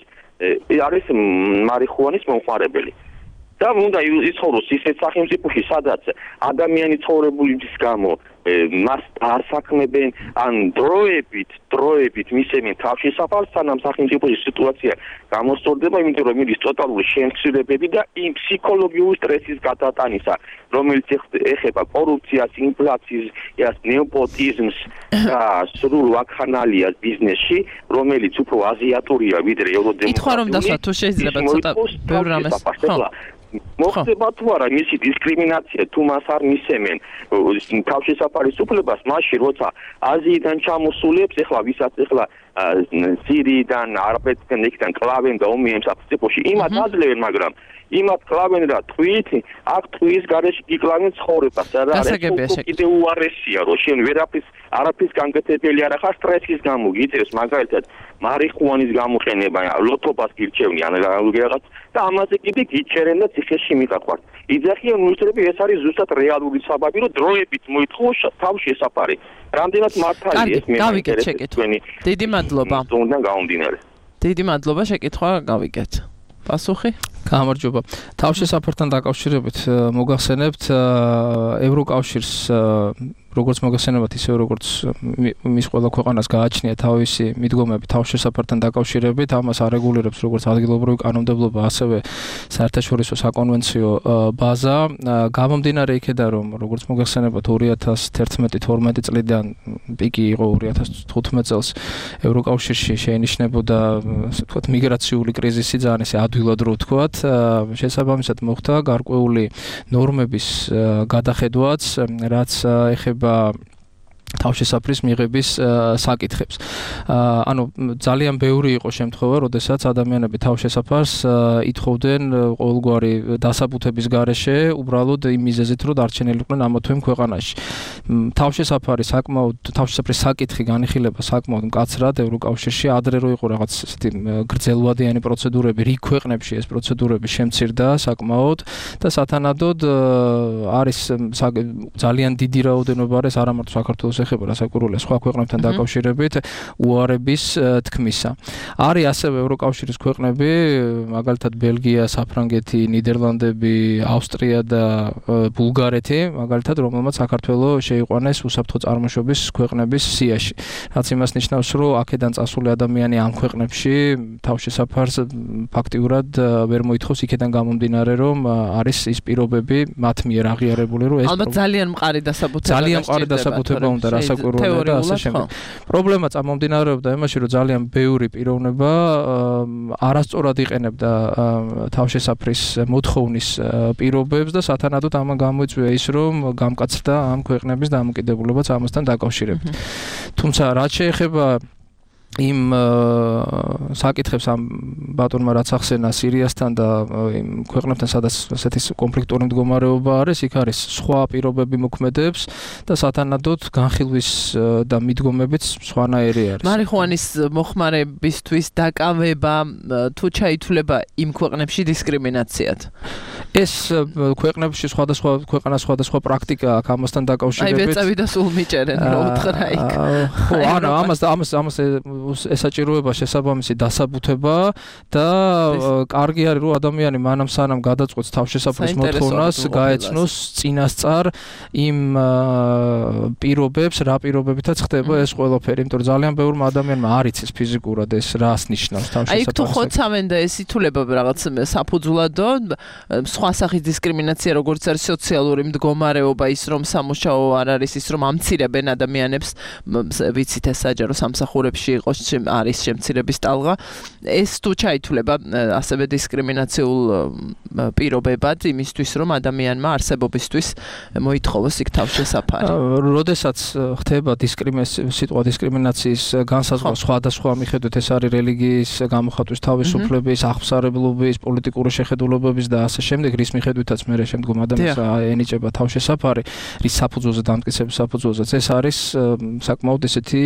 არის მარიხუანის მომხმარებელი და უნდა იცხოვროს ისეთ სახელმწიფოში სადაც ადამიანი ცხოვრებულის გამო მას ასაქმებენ ან დროებით მისცემენ თავშესაფარს სანამ სახელმწიფოში სიტუაცია გამოსწორდება იმიტომ რომ მიდის ტოტალური შემცირებები და იმ ფსიქოლოგიური სტრესის გადატანისა რომელიც ეხება კორუფციას, ინფლაციას, ნეოპოტიზმს და სრულ ვაქხანალიას ბიზნესში რომელიც უფრო აზიატურია ვიდრე ევროდემოკრატიული ითქვა რომ დასვა თუ შეიძლება ცოტა ბევრ რამეს მოხდება თუ არა მისი დისკრიმინაცია თუ მას არ მისცემენ თავშესაფარის უფლებას მაშინ როცა აზიიდან ჩამოსულებს ეხლა ვისაც ეხლა სირიიდან არაბეთიდან იქიდან კლავენ და ომი ემსახურებოში იმათ აძლევენ მაგრამ იმათ კლავენ რა თვით აქ თვის გარეშე გიკლავენ ცხოვრებას და კიდე უარესია რომ შენ არაფრის განგეთებელი არ ახარ სტრესის გამო გიწევს მაგალითად მარიხუანის გამოყენება ლოთობას გირჩევნი ან რაღაც და ამაზე კიდე გიჩერენ და ციხეში მიყაყვართ იძახიან უსწრები ეს არის ზუსტად რეალური საბაბი რომ დროებით მოითხოვო თავშესაფარი რამდენად მართალია ეს მე გავიგეთ შეკითხვა დიდი მადლობა თუნდან გამომდინარე დიდი მადლობა შეკითხვა გავიგეთ პასუხი გამარჯობა თავშესაფართან დაკავშირებით მოგახსენებთ ევროკავშირს როგორც მოგახსენებათ ისე როგორც მის ყველა ქვეყანას გააჩნია თავისი მიდგომები თავშესაფართან დაკავშირებით ამას არეგულირებს როგორც ადგილობრივი კანონმდებლობა ასევე საერთაშორისო საკონვენციო ბაზა გამომდინარე იქედან რომ როგორც მოგახსენებათ 2011-12 წლიდან პიკი იყო 2015 წელს ევროკავშირში შეინიშნებოდა ასე ვთქვათ მიგრაციული კრიზისი ძალიან ესე ადვილად რო ვთქვათ შესაბამისად მოხდა გარკვეული ნორმების გადახედვაც რაც ეხება თავშესაფრის მიღების საკითხებს. ანუ ძალიან ბევრი იყო შემთხვევა, როდესაც ადამიანები თავშესაფარს ითხოვდნენ ყოველგვარი დასაბუთების გარეშე, უბრალოდ იმ მიზეზით, რომ დარჩენილიყვნენ ამა თუ იმ ქვეყანაში. თავშესაფრის საკითხი განიხილება საკმაოდ მკაცრად ევროკავშირში, ადრე რო იყო რაღაც ესეთი გრძელვადიანი პროცედურები, რიგ ქვეყნებში ეს პროცედურები შემცირდა საკმაოდ და სათანადოდ არის ძალიან დიდი რაოდენობა არის არა მარტო საქართველოს ეხება რასაკვირველია სხვა ქვეყნებთან დაკავშირებით უარების თქმისა. არის ასევე ევროკავშირის ქვეყნები, მაგალითად ბელგია, საფრანგეთი, ნიდერლანდები, ავსტრია და ბულგარეთი, მაგალითად რომელმაც საქართველოს შეიყვანეს უსაფრთხო წარმოშობის ქვეყნების სიაში. რაც იმას ნიშნავს, რომ აქედან წასული ადამიანი ამ ქვეყნებში თავშესაფარს ფაქტიურად ვერ მოითხოვს იქედან გამომდინარე, რომ არის ის პირობები მათ მიერ აღიარებული, რომ ეს ალბათ ძალიან მყარი დასაბუთება უნდა რასაკვირველია და ასე შემდეგ. პრობლემა წარმომდინარეობდა იმაში, რომ ძალიან ბევრი პიროვნება არასწორად იყენებდა თავშესაფრის მოთხოვნის პირობებს და სათანადოდ ამან გამოიწვია ის, რომ გამკაცრდა ამ ქვეყნების დამოკიდებულებაც ამასთან დაკავშირებით. თუმცა რაც შეეხება იმ საკითხებს ამ ბატონმა რაც ახსენა სირიასთან და იმ ქვეყნებთან სადაც ასეთი კონფლიქტური მდგომარეობა არის, იქ არის სხვა პირობები მოქმედებს და სათანადოდ განხილვის და მიდგომებიც სხვანაირი არის. მარიხუანის მოხმარებისთვის დაკავება თუ ჩაითვლება იმ ქვეყნებში დისკრიმინაციად? ეს ქვეყნებში სხვადასხვა პრაქტიკა აქვს ამასთან დაკავშირებით. აი ვეწევი და სულ მიჭერენ რა უთხრა იქ. ხო, ანუ ამას ესაჭიროება შესაბამისი დასაბუთება და კარგი არის რომ ადამიანი მანამ სანამ გადაწყვეტს თავშესაფრის მოთხოვნას გაეცნოს წინასწარ იმ პირობებს, რა პირობებითაც ხდება ეს ყველაფერი, იმიტომ რომ ძალიან ბევრმა ადამიანმა არ იცის ფიზიკურად ეს რას ნიშნავს თავშესაფარი. აი თუ ხოცავენ და ეს ითვლება რაღაც საფუძვლადო სხვა სახის დისკრიმინაცია როგორც არის სოციალური მდგომარეობა ის რომ სამუშაო არ არის ის რომ ამცირებენ ადამიანებს ვიცით ეს საჯარო სამსახურებში იყოს არის შემცირების ტალღა ეს თუ ჩაითვლება ასევე დისკრიმინაციულ პირობებად იმისთვის რომ ადამიანმა არსებობისთვის მოითხოვოს იქ თავშესაფარი. როდესაც ხდება სიტყვა დისკრიმინაციის განსაზღვრა სხვადასხვა მიხედვით ეს არის რელიგიის გამოხატვის თავისუფლების, აღსარებლობის, პოლიტიკური შეხედულებების და ასე შემდეგ რის მიხედვითაც მე შემდგომ ადამიანს ენიჭება თავშესაფარი, რის საფუძველზე დამტკიცების საფუძველზეც ეს არის საკმაოდ ესეთი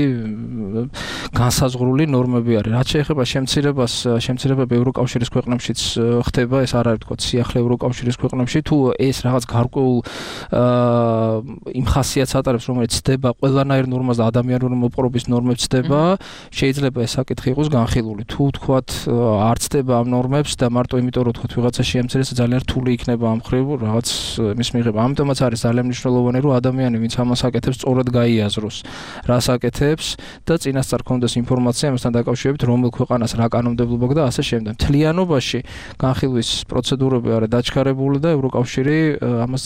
განსაზღვრული ნორმები არის. რაც შეეხება შემცირებები ევროკავშირის ქვეყნებშიც ხდება, ეს არ არის თქო სიახლე ევროკავშირის ქვეყნებში, თუ ეს რაღაც გარკვეულ იმ ხასიათს ატარებს, რომელიც ცდება ყველანაირ ნორმას და ადამიანური მოპყრობის ნორმებს ცდება, შეიძლება ეს საკითხი იყოს განხილული. თუ თქვათ არ ცდება ამ ნორმებს და მარტო იმიტომ რომ თქვათ ვიღაცა შეამცირეს ძალიან რთული იქნება ამ ხრივ რაღაც მის მიღება. ამიტომაც არის ძალიან მნიშვნელოვანი რომ ადამიანი ვინც ამას აკეთებს სწორად გაიაზროს რას აკეთებს და წინასწარ ქონდეს ინფორმაცია ამასთან დაკავშირებით რომელ ქვეყანას რა კანონმდებლობა და ასე შემდეგ. მთლიანობაში განხილვის პროცედურები არის დაჩქარებული და ევროკავშირი ამას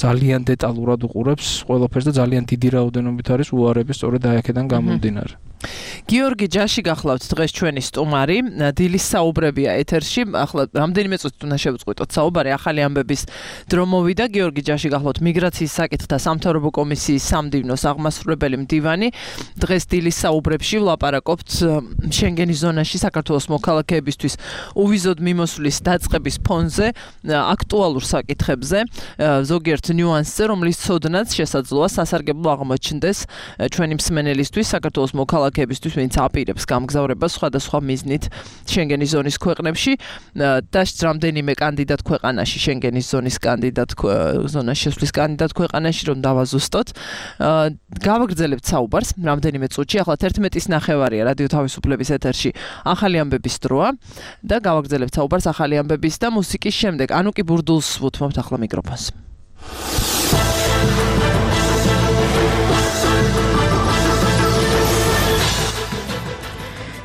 ძალიან დეტალურად უყურებს ყველაფერს და ძალიან დიდი რაოდენობით არის უარები სწორედ აქედან გამომდინარე. გიორგი ჯაში გახლავთ დღეს ჩვენი სტუმარი, დილის საუბრებია ეთერში. ახლა რამდენიმე წუთით უნდა შევწყვიტოთ საუბარი, ახალი ამბების დრო მოვიდა. გიორგი ჯაში გახლავთ მიგრაციის საკითხთა სამთავრობო კომისიის სამდივნოს აღმასრულებელი მდივანი. დღეს დილის საუბრებში ვლაპარაკობთ შენგენის ზონაში საქართველოს მოქალაქეებისთვის უვიზოდ მიმოსვლის დაწყების ფონზე, აქტუალურ საკითხებზე, ზოგიერთ ნიუანსზე, რომლის ცოდნაც შესაძლოა სასარგებლო აღმოჩნდეს ჩვენი მსმენელისთვის, საქართველოს მოქალაქეებისთვის, ვინც აპირებს გამგზავრებას სხვადასხვა მიზნით შენგენის ზონის ქვეყნებში. დასჭრ რამდენიმე კანდიდატ ქვეყანაში, შენგენის ზონის ზონაში შესვლის კანდიდატ ქვეყანაში, რომ დავაზუსტოთ. გავაგრძელებთ საუბარს რამდენიმე წუთში. ახლა 11:09 რადიო თავისუფლების ეთერში ახალი ამბების დროა და გავაგრძელებთ საუბარს ახალი ამბების და მუსიკის შემდეგ. ანუკი ბურდულს ვუთმობთ ახლა მიკროფონს.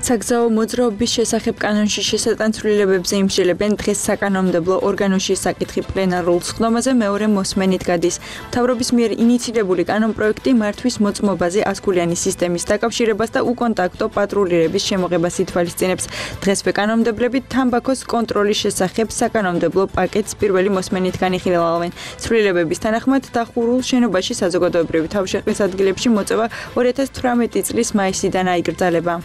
საგზაო მოძრაობის შესახებ კანონში შესატანცვლილებებზე იმსჯელებენ დღეს საკანონმდებლო ორგანოში საკითხი პლენარულ სხდომაზე მეორე მოსმენით გადის. მთავრობის მიერ ინიცირებული კანონპროექტი მართვის მოწმობაზე ასკულიანი სისტემის დაკავშირებას და უკონტაქტო პატრულირების შემოღებას ითვალისწინებს. დღესვე კანონმდებლები თამბაქოს კონტროლის შესახებ საკანონმდებლო პაკეტს პირველი მოსმენით განიხილავენ. ცვლილებების თანახმად დახურულ შენობაში საზოგადოებრივი თავშეყრის ადგილებში მოწევა 2018 წლის მაისიდან აიგრძალება.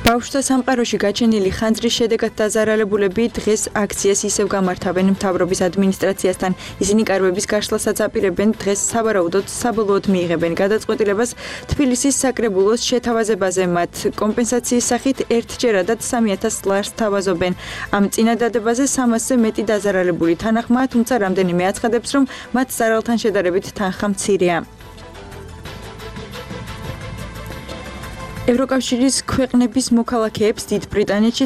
ბავშვთა სამყაროში გაჩენილი ხანძრის შედეგად დაზარალებულები დღეს აქციას ისევ გამართავენ მთავრობის ადმინისტრაციასთან. ისინი კარვების გაშლასაც აპირებენ, დღეს სავარაუდოდ საბოლოოდ მიიღებენ გადაწყვეტილებას თბილისის საკრებულოს შეთავაზებაზე. მათ კომპენსაციის სახით ერთჯერადად 3000 ლარს თავაზობენ. ამ წინადადებაზე 300-ზე მეტი დაზარალებული თანახმაა, თუმცა რამდენიმე აცხადებს, რომ მათ ზარალთან შედარებით თანხა მცირეა. ევროკავშირის ქვეყნების მოქალაქეებს დიდ ბრიტანეთში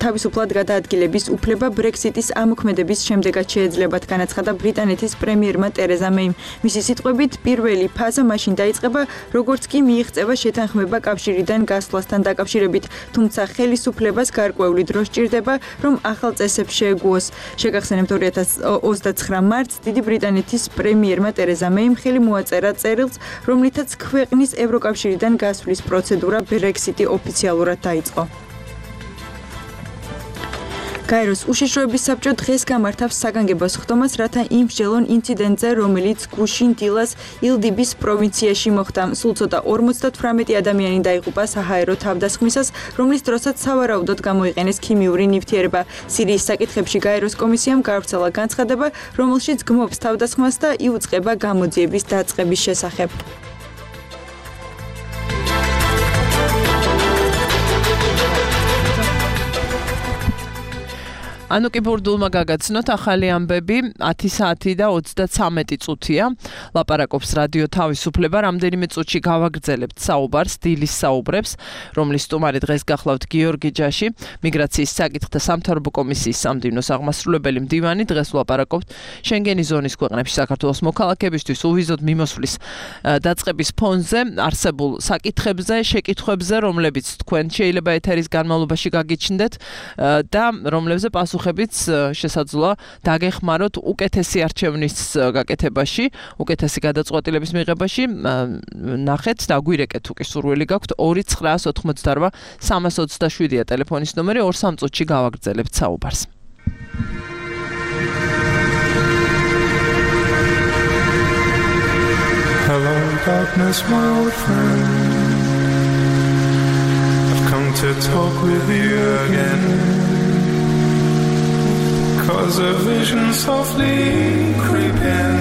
თავისუფლად გადაადგილების უფლება ბრექსიტის ამოქმედების შემდეგაც შეეძლებათ, განაცხადა ბრიტანეთის პრემიერმა ტერეზა მეიმ. მისი სიტყვებით, პირველი ფაზა მაშინ დაიწყება, როგორც კი მიიღწევა შეთანხმება კავშირიდან გასვლასთან დაკავშირებით, თუმცა ხელისუფლებას გარკვეული დრო სჭირდება, რომ ახალ წესებს შეეგუოს. შეგახსენებთ 2029 მარტს დიდი ბრიტანეთის პრემიერმა ტერეზა მეიმ ხელი მოაწერა წერილს, რომლითაც ქვეყნის ევროკავშირიდან გასვლის პროცედურა ბრექსიტი ოფიციალურად დაიწყო. გაეროს უშიშროების საბჭო დღეს გამართავს საგანგებო სხდომას, რათა იმსჯელონ ინციდენტზე, რომელიც გუშინ დილას ილდიბის პროვინციაში მოხდა. სულ ცოტა 58 ადამიანი დაიღუპა საჰაერო თავდასხმისას, რომლის დროსაც სავარაუდოდ გამოიყენეს ქიმიური ნივთიერება. სირიის საკითხებში გაეროს კომისიამ გაავრცელა განცხადება, რომელშიც გმობს თავდასხმას და იუწყება გამოძიების დაწყების შესახებ. ანუკი ბურდულმა გაგაცნოთ ახალი ამბები 10 საათი და 33 წუთია. ლაპარაკობს რადიო თავისუფლება. რამდენიმე წუთში გავაგრძელებთ საუბარს, დილის საუბრებს, რომლის სტუმარი დღეს გახლავთ გიორგი ჯაში, მიგრაციის საკითხთა სამთავრობო კომისიის სამდივნოს აღმასრულებელი მდივანი. დღეს ვლაპარაკობთ შენგენის ზონის ქვეყნებში საქართველოს მოქალაქეებისთვის უვიზოდ მიმოსვლის დაწყების ფონზე არსებულ საკითხებზე, შეკითხვებზე, რომლებიც თქვენ შეიძლება ეთერის განმავლობაში გაგიჩნდეთ და რომლებზე პასუხებიც შესაძლოა დაგეხმაროთ უკეთესი არჩევნის გაკეთებაში, უკეთესი გადაწყვეტილების მიღებაში. ნახეთ, დაგვირეკეთ უკი სურვილი გაქვთ 2988 327-ია ტელეფონის ნომერი, 2-3 წუთში გავაგრძელებთ საუბარს. Hello darkness my old friend, I've come to talk with you again. Cause a vision softly creeping,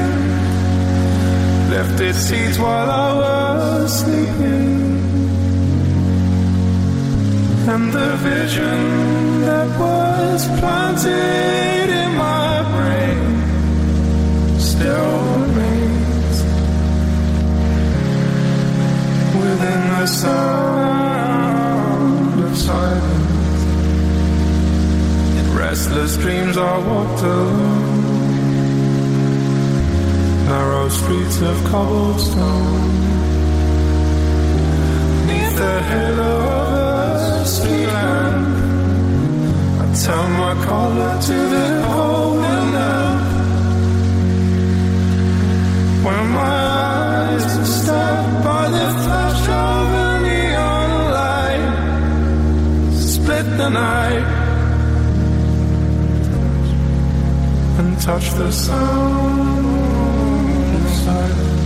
left its seeds while I was sleeping. And the vision that was planted in my brain still remains within the sound of silence. In restless dreams I walked alone, narrow streets of cobblestone, neath the halo of a street lamp. I turn my collar to the golden lamp. When my eyes are stabbed by the flash of a neon light, split the night and touch the sound of silence.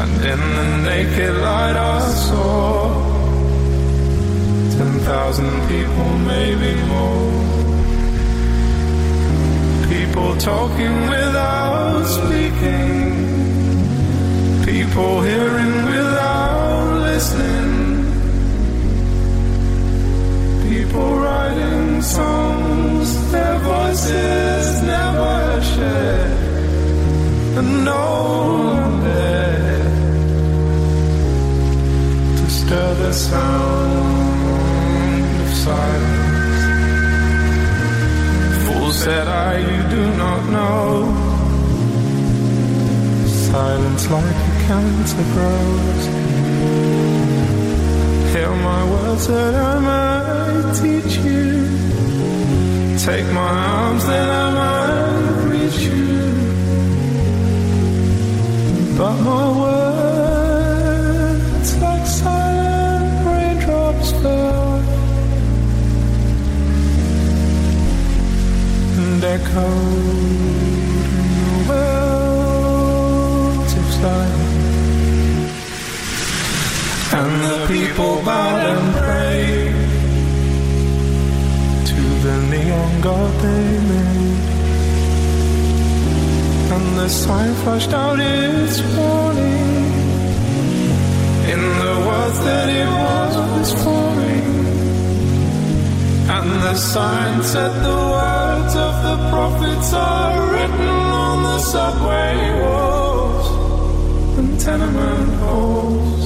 And in the naked light I saw 10,000 people, maybe more. People talking without speaking, people hearing without listening, people writing songs their voices never shared, and no one there to stir the sound of silence. Said you do not know. Silence like a cancer grows. Hear my words that I might teach you. Take my arms that I might reach you. But my words like silent raindrops fell and echoed in the wells of silence. And the people bowed and prayed to the neon god they made, and the sign flashed out its warning in the words that it was forming. And the sign said the words of the prophets are written on the subway walls and tenement halls,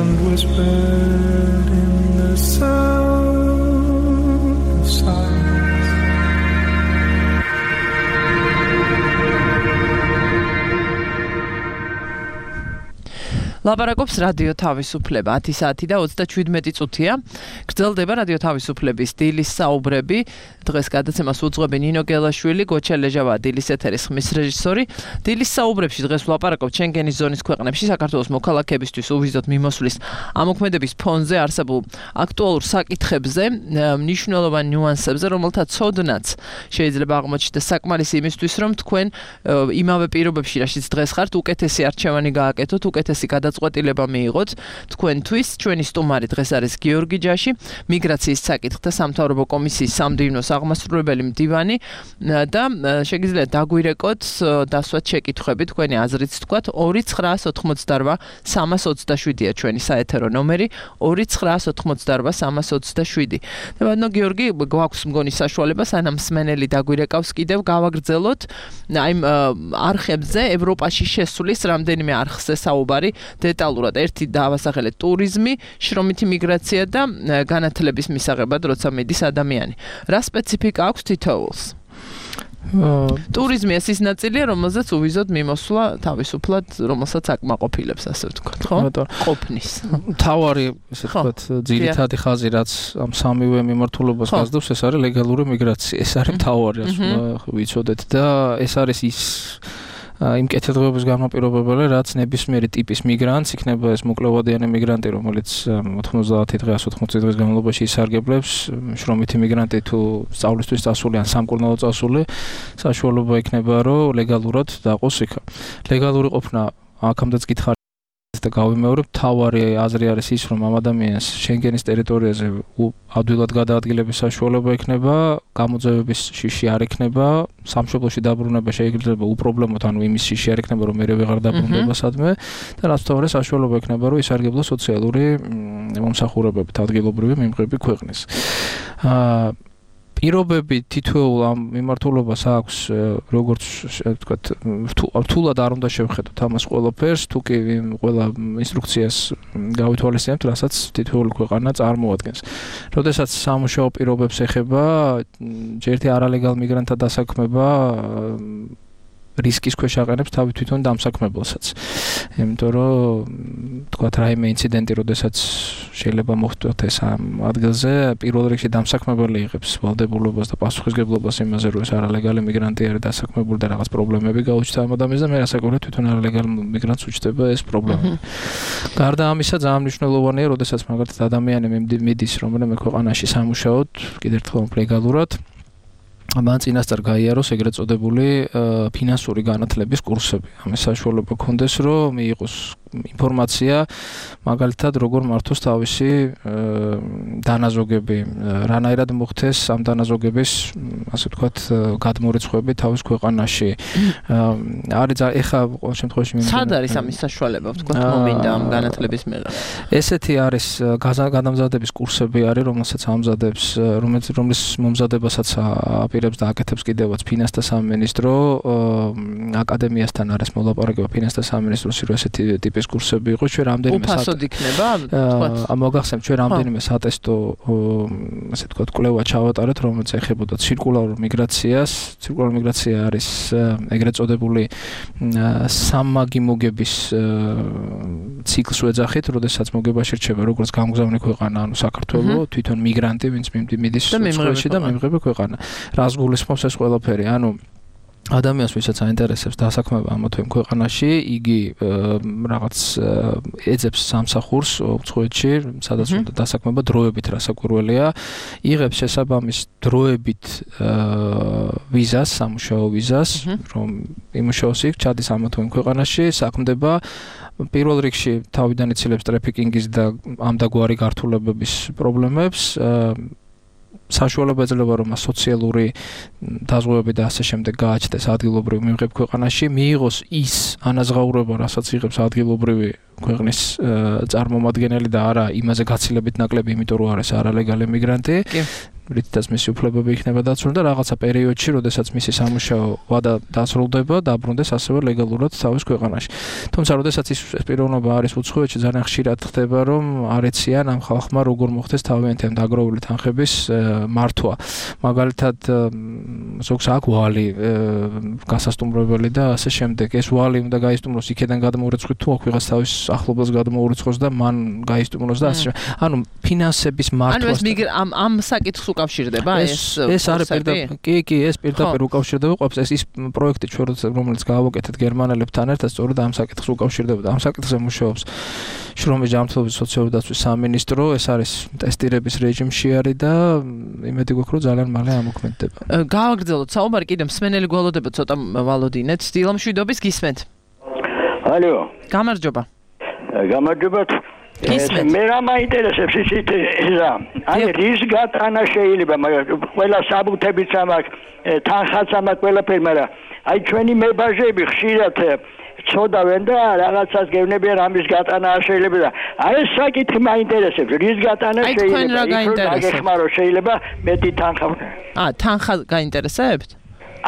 and whispered in the sound of silence. ლაპარაკობს რადიო თავისუფლება 10 საათი და 37 წუთია. გრძელდება რადიო თავისუფლების დილის საუბრები. დღეს გადაცემას უძღვები ნინო გელაშვილი, გოჩა ლეჟავა, დილის ეთერის ხმის რეჟისორი. დილის საუბრებში დღეს ვლაპარაკობთ შენგენის ზონის ქვეყნებში საქართველოს მოქალაქეებისთვის უვიზოთ მიმოსვლის ამოქმედების ფონზე არსებულ აქტუალურ საკითხებზე, მნიშვნელოვან ნიუანსებზე, რომელთა ცოდნაც შეიძლება აღმოჩნდეს საკმარისი იმისთვის, რომ თქვენ იმავე პირობებში, რაშიც დღეს ხართ, უკეთესი არჩევანი გააკეთოთ, უკეთესი გადაწყვეტილება მიიღოთ თქვენთვის. ჩვენი სტუმარი დღეს არის გიორგი ჯაში, მიგრაციის საკითხთა სამთავრობო კომისიის სამდივნოს აღმასრულებელი მდივანი და შეგიძლიათ დაგვირეკოთ, დასვათ შეკითხვები, თქვენი აზრით თქვათ 2988 327-ია ჩვენი საეთერო ნომერი 2988 327. ნებადნო გიორგი, გვაქვს მგონი საშუალება, სანამ მსმენელი დაგვირეკავს კიდევ გავაგრძელოთ აი არხებზე ევროპაში შესulis რამდენიმე არხზე საუბარი დეტალურად. ერთი დავასახელეთ ტურიზმი, შრომითი მიგრაცია და განათლების მისაღებად, როცა მიდის ადამიანი. რა სპეციფიკა აქვს თითოეულს? ტურიზმი ეს ის ნაწილია, რომელზეც უვიზოთ მიმოსვლა თავისუფლად, რომელსაც აკმაყოფილებს, ასე ვთქვათ, ხო? ყოფნის. თავარი, ესე ვთქვათ, ძირითადი ხაზი, რაც ამ სამივე მიმართულებას გასდევს, ეს არის ლეგალური მიგრაცია. ეს არის თავარი, ასე ვიცოდეთ და ეს არის ის იმ კეთილდღეობის განმაპირობებელი, რაც ნებისმიერი ტიპის მიგრანტს, იქნება ეს მოკლევადიანი მიგრანტი, რომელიც 90 დღე, 180 დღის განმავლობაში ისარგებლებს, შრომითი მიგრანტი თუ სწავლისთვის წასული ან სამკურნალო წასული, საშუალება იქნება, რომ ლეგალურად დაყოს იქ. ლეგალური ყოფნა აქამდეც გითხარით და გავიმეორებ, თავარი აზრი არის ის, რომ ამ ადამიანს შენგენის ტერიტორიაზე ადვილად გადაადგილების საშუალება ექნება, გამოძევების შიში არ ექნება, სამშობლოში დაბრუნება შეიძლება უპრობლემოდ, ანუ იმის შიში არ ექნება, რომ მერე ვეღარ დაბრუნდება სადმე და რაც თავარი საშუალება ექნება, რომ ისარგებლო სოციალური მომსახურებებით, ადგილობრივი მიმღები ქვეყნის. პირობები თითოეულ ამ მიმართულებას აქვს, როგორც ვთქვათ, რთულად არ უნდა შევხედოთ ამას ყველაფერს, თუ კი ყველა ინსტრუქციას გავითვალისწინებთ, რასაც თითოეული ქვეყანა წარმოადგენს. როდესაც სამუშაო პირობებს ეხება, ერთი არალეგალ მიგრანტთა დასაქმება რისკის ქვეშ აყენებს თავი თვითონ დამსაქმებელსაც. იმიტომ რომ თქვათ რაიმე ინციდენტი, როდესაც შეიძლება მოხდეს ეს ამ ადგილზე, პირველ რიგში დამსაქმებელი იღებს ვალდებულებას და პასუხისმგებლობას იმაზე, რომ ეს არალეგალი მიგრანტი არის დასაქმებული და რაღაც პრობლემები გაუჩნდა ამ ადამიანს და მე რასაკვირველია თვითონ არალეგალ მიგრანტს უჩნდება ეს პრობლემა. გარდა ამისა, ძალიან მნიშვნელოვანია, როდესაც მაგალითად ადამიანი მიდის რომელიმე ქვეყანაში სამუშაოდ, კიდევ ერთხელ ლეგალურად მან წინასწარ გაიაროს ეგრეთ წოდებული ფინანსური განათლების კურსები. ამის საშუალება ქონდეს, რომ მიიღოს ინფორმაცია, მაგალითად, როგორ მართოს თავისი დანაზოგები, რანაირად მოხდეს ამ დანაზოგების, ასე ვთქვათ, გადმორიცხვები თავის ქვეყანაში. არის ეხა ყოველ შემთხვევაში სად არის ამის საშუალება, ვთქვათ, მომინდა ამ განათლების მიღება? ესეთი არის გადამზადების კურსები არის, რომელსაც ამზადებს, რომლის მომზადებასაც აპირებს და აკეთებს კიდევაც ფინანსთა სამინისტრო, აკადემიასთან არის მოლაპარაკება ფინანსთა სამინისტროს, რომ ესეთი ტიპის კურსები იყო, ჩვენ რამდენიმე უფასოდ იქნება, თქვათ. მოგახსენებთ, ჩვენ რამდენიმე სატესტო, ასე ვთქვათ, კვლევა ჩავატარეთ, რომელიც ეხებოდა ცირკულარულ მიგრაციას. ცირკულარული მიგრაცია არის ეგრეთ წოდებული სამმაგი მოგების ციკლს ვეძახით, როდესაც მოგებაში რჩება როგორც გამგზავნე ქვეყანა, ანუ საქართველო, თვითონ მიგრანტი, ვინც მიდის სხვადასხვა და მიმღები ქვეყანა. რას გულისხმობს ეს ყველაფერი? ანუ ადამიანს ვისაც აინტერესებს დასაქმება ამ თუ იმ ქვეყანაში, იგი რაღაც ეძებს სამსახურს უცხოეთში, სადაც უნდა დასაქმება დროებით, რასაკვირველია, იღებს შესაბამის დროებით ვიზას, სამუშაო ვიზას, რომ იმუშაოს იქ, ჩადის ამ თუ იმ ქვეყანაში, საქმდება პირველ რიგში თავიდან იცილებს ტრაფიკინგის და ამ და გვარი გართულებების პრობლემებს, საშუალება ეძლევა, რომ სოციალური დაზღვევები და ასე შემდეგ გააჩნდეს ადგილობრივ მიმღებ ქვეყანაში, მიიღოს ის ანაზღაურება, რასაც იღებს ადგილობრივი ქვეყნის წარმომადგენელი და არა იმაზე გაცილებით ნაკლები, იმიტომ რომ არის არალეგალი მიგრანტი. რითაც მისი უფლებები იქნება დაცული და რაღაცა პერიოდში, როდესაც მისი სამუშაო ვადა დასრულდება, დაბრუნდეს ასევე ლეგალურად თავის ქვეყანაში. თუმცა, როდესაც ის პიროვნება არის უცხოეთში, ძალიან ხშირად ხდება, რომ არ ეციან ამ ხალხმა როგორ მოხდეს თავიანთი ამ დაგროვებული თანხების მართვა. მაგალითად, ზოგს აქვს ვალი გასასტუმრებელი და ასე შემდეგ. ეს ვალი უნდა გაისტუმროს იქიდან გადმოურიცხვით, თუ აქ ვიღაც თავის ახლობელს გადმოურიცხოს და მან გაისტუმროს და ასე შემდეგ. ანუ ფინანსების მართვას ამ საკითხს უკავშირდება ეს არის კი, ეს პირდაპირ უკავშირდება ყოფს ეს პროექტი ჩვენ რომელიც გავაკეთეთ გერმანელებთან ერთად, სწორედ ამ საკითხს უკავშირდება და ამ საკითხზე მუშაობს შრომის ჯანმრთელობის სოციალური დაცვის სამინისტრო, ეს არის ტესტირების რეჟიმში არის და იმედი გვაქვს, რომ ძალიან მალე ამოქმედდება. გავაგრძელოთ საუბარი, კიდევ მსმენელი გველოდება ცოტა ვალოდინეთ. დილამშვიდობის გისმენთ. ალო. გამარჯობა. გამარჯობათ. მე რა მაინტერესებს ისეთ ეზა. აი რის გატანა შეიძლება, მაგრამ ყველა საბუთებიც ამაქვს, თანხაც ამაქვს ყველაფერი, მაგრამ აი ჩვენი მებაჟები ხშირად ცოდავენ და რაღაცას გევნებიან ამის გატანა არ შეიძლება და აი ეს საკითხი მაინტერესებს, რის გატანა შეიძლება. აი თქვენ რა გაინტერესებს? გეხმარო შეიძლება მეტი თანხა. თანხა გაინტერესებთ?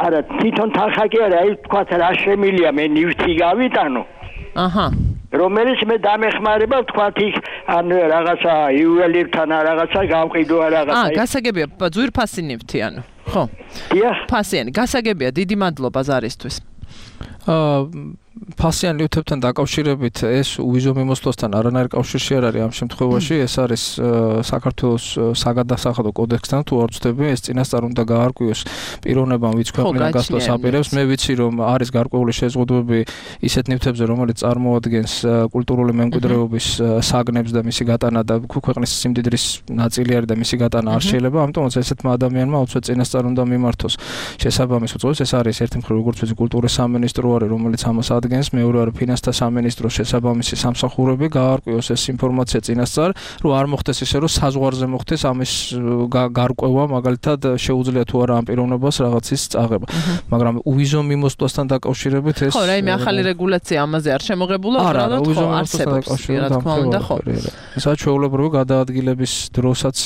არა, თვითონ თანხა კი არა, აი თქვათ რა შემილია მე ნივთი გავიტანო. აჰა. რომელიც მე დამეხმარება თქვათ იქ ან რაღაცა იუველირთან რაღაცა გავყიდო რაღაცა. გასაგებია ძვირფასი ნივთი ანუ. ხო. დიახ. ფასიანი. გასაგებია, დიდი მადლობა ზარისთვის. ფასიან ნივთებთან დაკავშირებით ეს უვიზო მიმოსვლასთან არანაირ კავშირში არ არის ამ შემთხვევაში, ეს არის საქართველოს საგადასახადო კოდექსთან თუ არ ვცდები, ეს წინასწარ უნდა გაარკვიოს პიროვნებამ, ვინც ქვეყნიდან გასვლას აპირებს. მე ვიცი, რომ არის გარკვეული შეზღუდვები ისეთ ნივთებზე, რომელიც წარმოადგენს კულტურული მემკვიდრეობის საგნებს და მისი გატანა და ქვეყნის სიმდიდრის ნაწილი არის და მისი გატანა არ შეიძლება, ამიტომ ესეთმა ადამიანმა უცებ წინასწარ უნდა მიმართოს შესაბამის უწყოს. ეს არის ერთი მხრივ როგორც ვიცი კულტურის სამინისტრო არის, რომელიც ამას ადგენს, მეორე არის ფინანსთა სამინისტროს შესაბამისი სამსახურები, გაარკვიოს ეს ინფორმაცია წინასწარ, რომ არ მოხდეს ისე, რომ საზღვარზე მოხდეს ამის გარკვევა, მაგალითად შეუძლია თუ არა ამ პიროვნებას რაღაცის წაღება. მაგრამ უვიზო მიმოსვლასთან დაკავშირებით ეს ხო, რაიმე ახალი რეგულაცია ამაზე არ შემოღებულა, უბრალოდ ხო არსებობს, რა თქმა უნდა, ხო. სადაც ჩვეულებრივი გადაადგილების დროსაც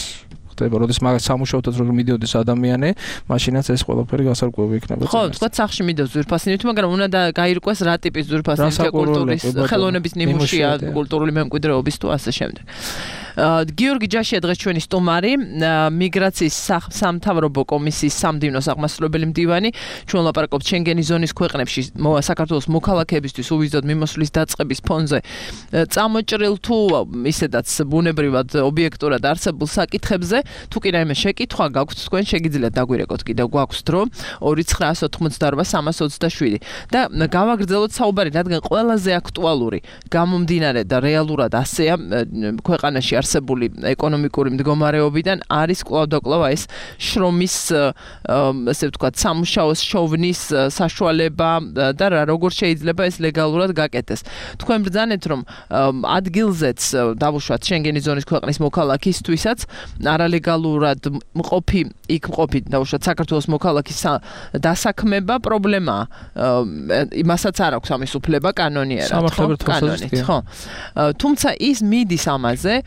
ხდება, როდის მაგას სამუშაოთაც როგორ მიდიოდეს ადამიანი, მაშინაც ეს ყველაფერი გასარკვევი იქნება. ხო, თქვა სახში მიდევს ძვირფასი ნივთი, მაგრამ უნდა გაირკვეს რა ტიპის ძვირფასი ნივთია, კულტურის, ხელოვნების ნიმუშია, კულტურული მემკვიდრეობის თუ ასე შემდეგ. გიორგი ჯაშია დღეს ჩვენი სტუმარი, მიგრაციის სამთავრობო კომისიის სამდივნო აღმასრულებელი მდივანი. ჩვენ ლაპარაკობთ შენგენის ზონის ქვეყნებში საქართველოს მოქალაქეებისთვის უვიზოდ მიმოსვლის დაწყების ფონზე წამოჭრილ თუ ისედაც ბუნებრივად ობიექტურად არსებულ საკითხებზე. თუ კი რაიმე შეკითხვა გაქვთ, თქვენ შეგიძლიათ დაგვირეკოთ კიდევ გვაქვს დრო 2988327 და გავაგრძელოთ საუბარი, რადგან ყველაზე აქტუალური გამომდინარე და რეალურად ასეა ქვეყანაში არსებული ეკონომიკური მდგომარეობიდან არის კვლავ-დაკვლავ ეს შრომის ასე ვთქვათ სამუშაოს შოვნის საშუალება და როგორ შეიძლება ეს ლეგალურად გაკეთდეს. თქვენ ბრძანეთ რომ ადგილზეც დავუშვათ შენგენის ზონის ქვეყნის მოქალაქისთვისაც არალეგალურად იქ მყოფი დავუშვათ საქართველოს მოქალაქის დასაქმება პრობლემაა. იმასაც არ აქვს ამის უფლება კანონიერად, ხო? თუმცა ის მიდის ამაზე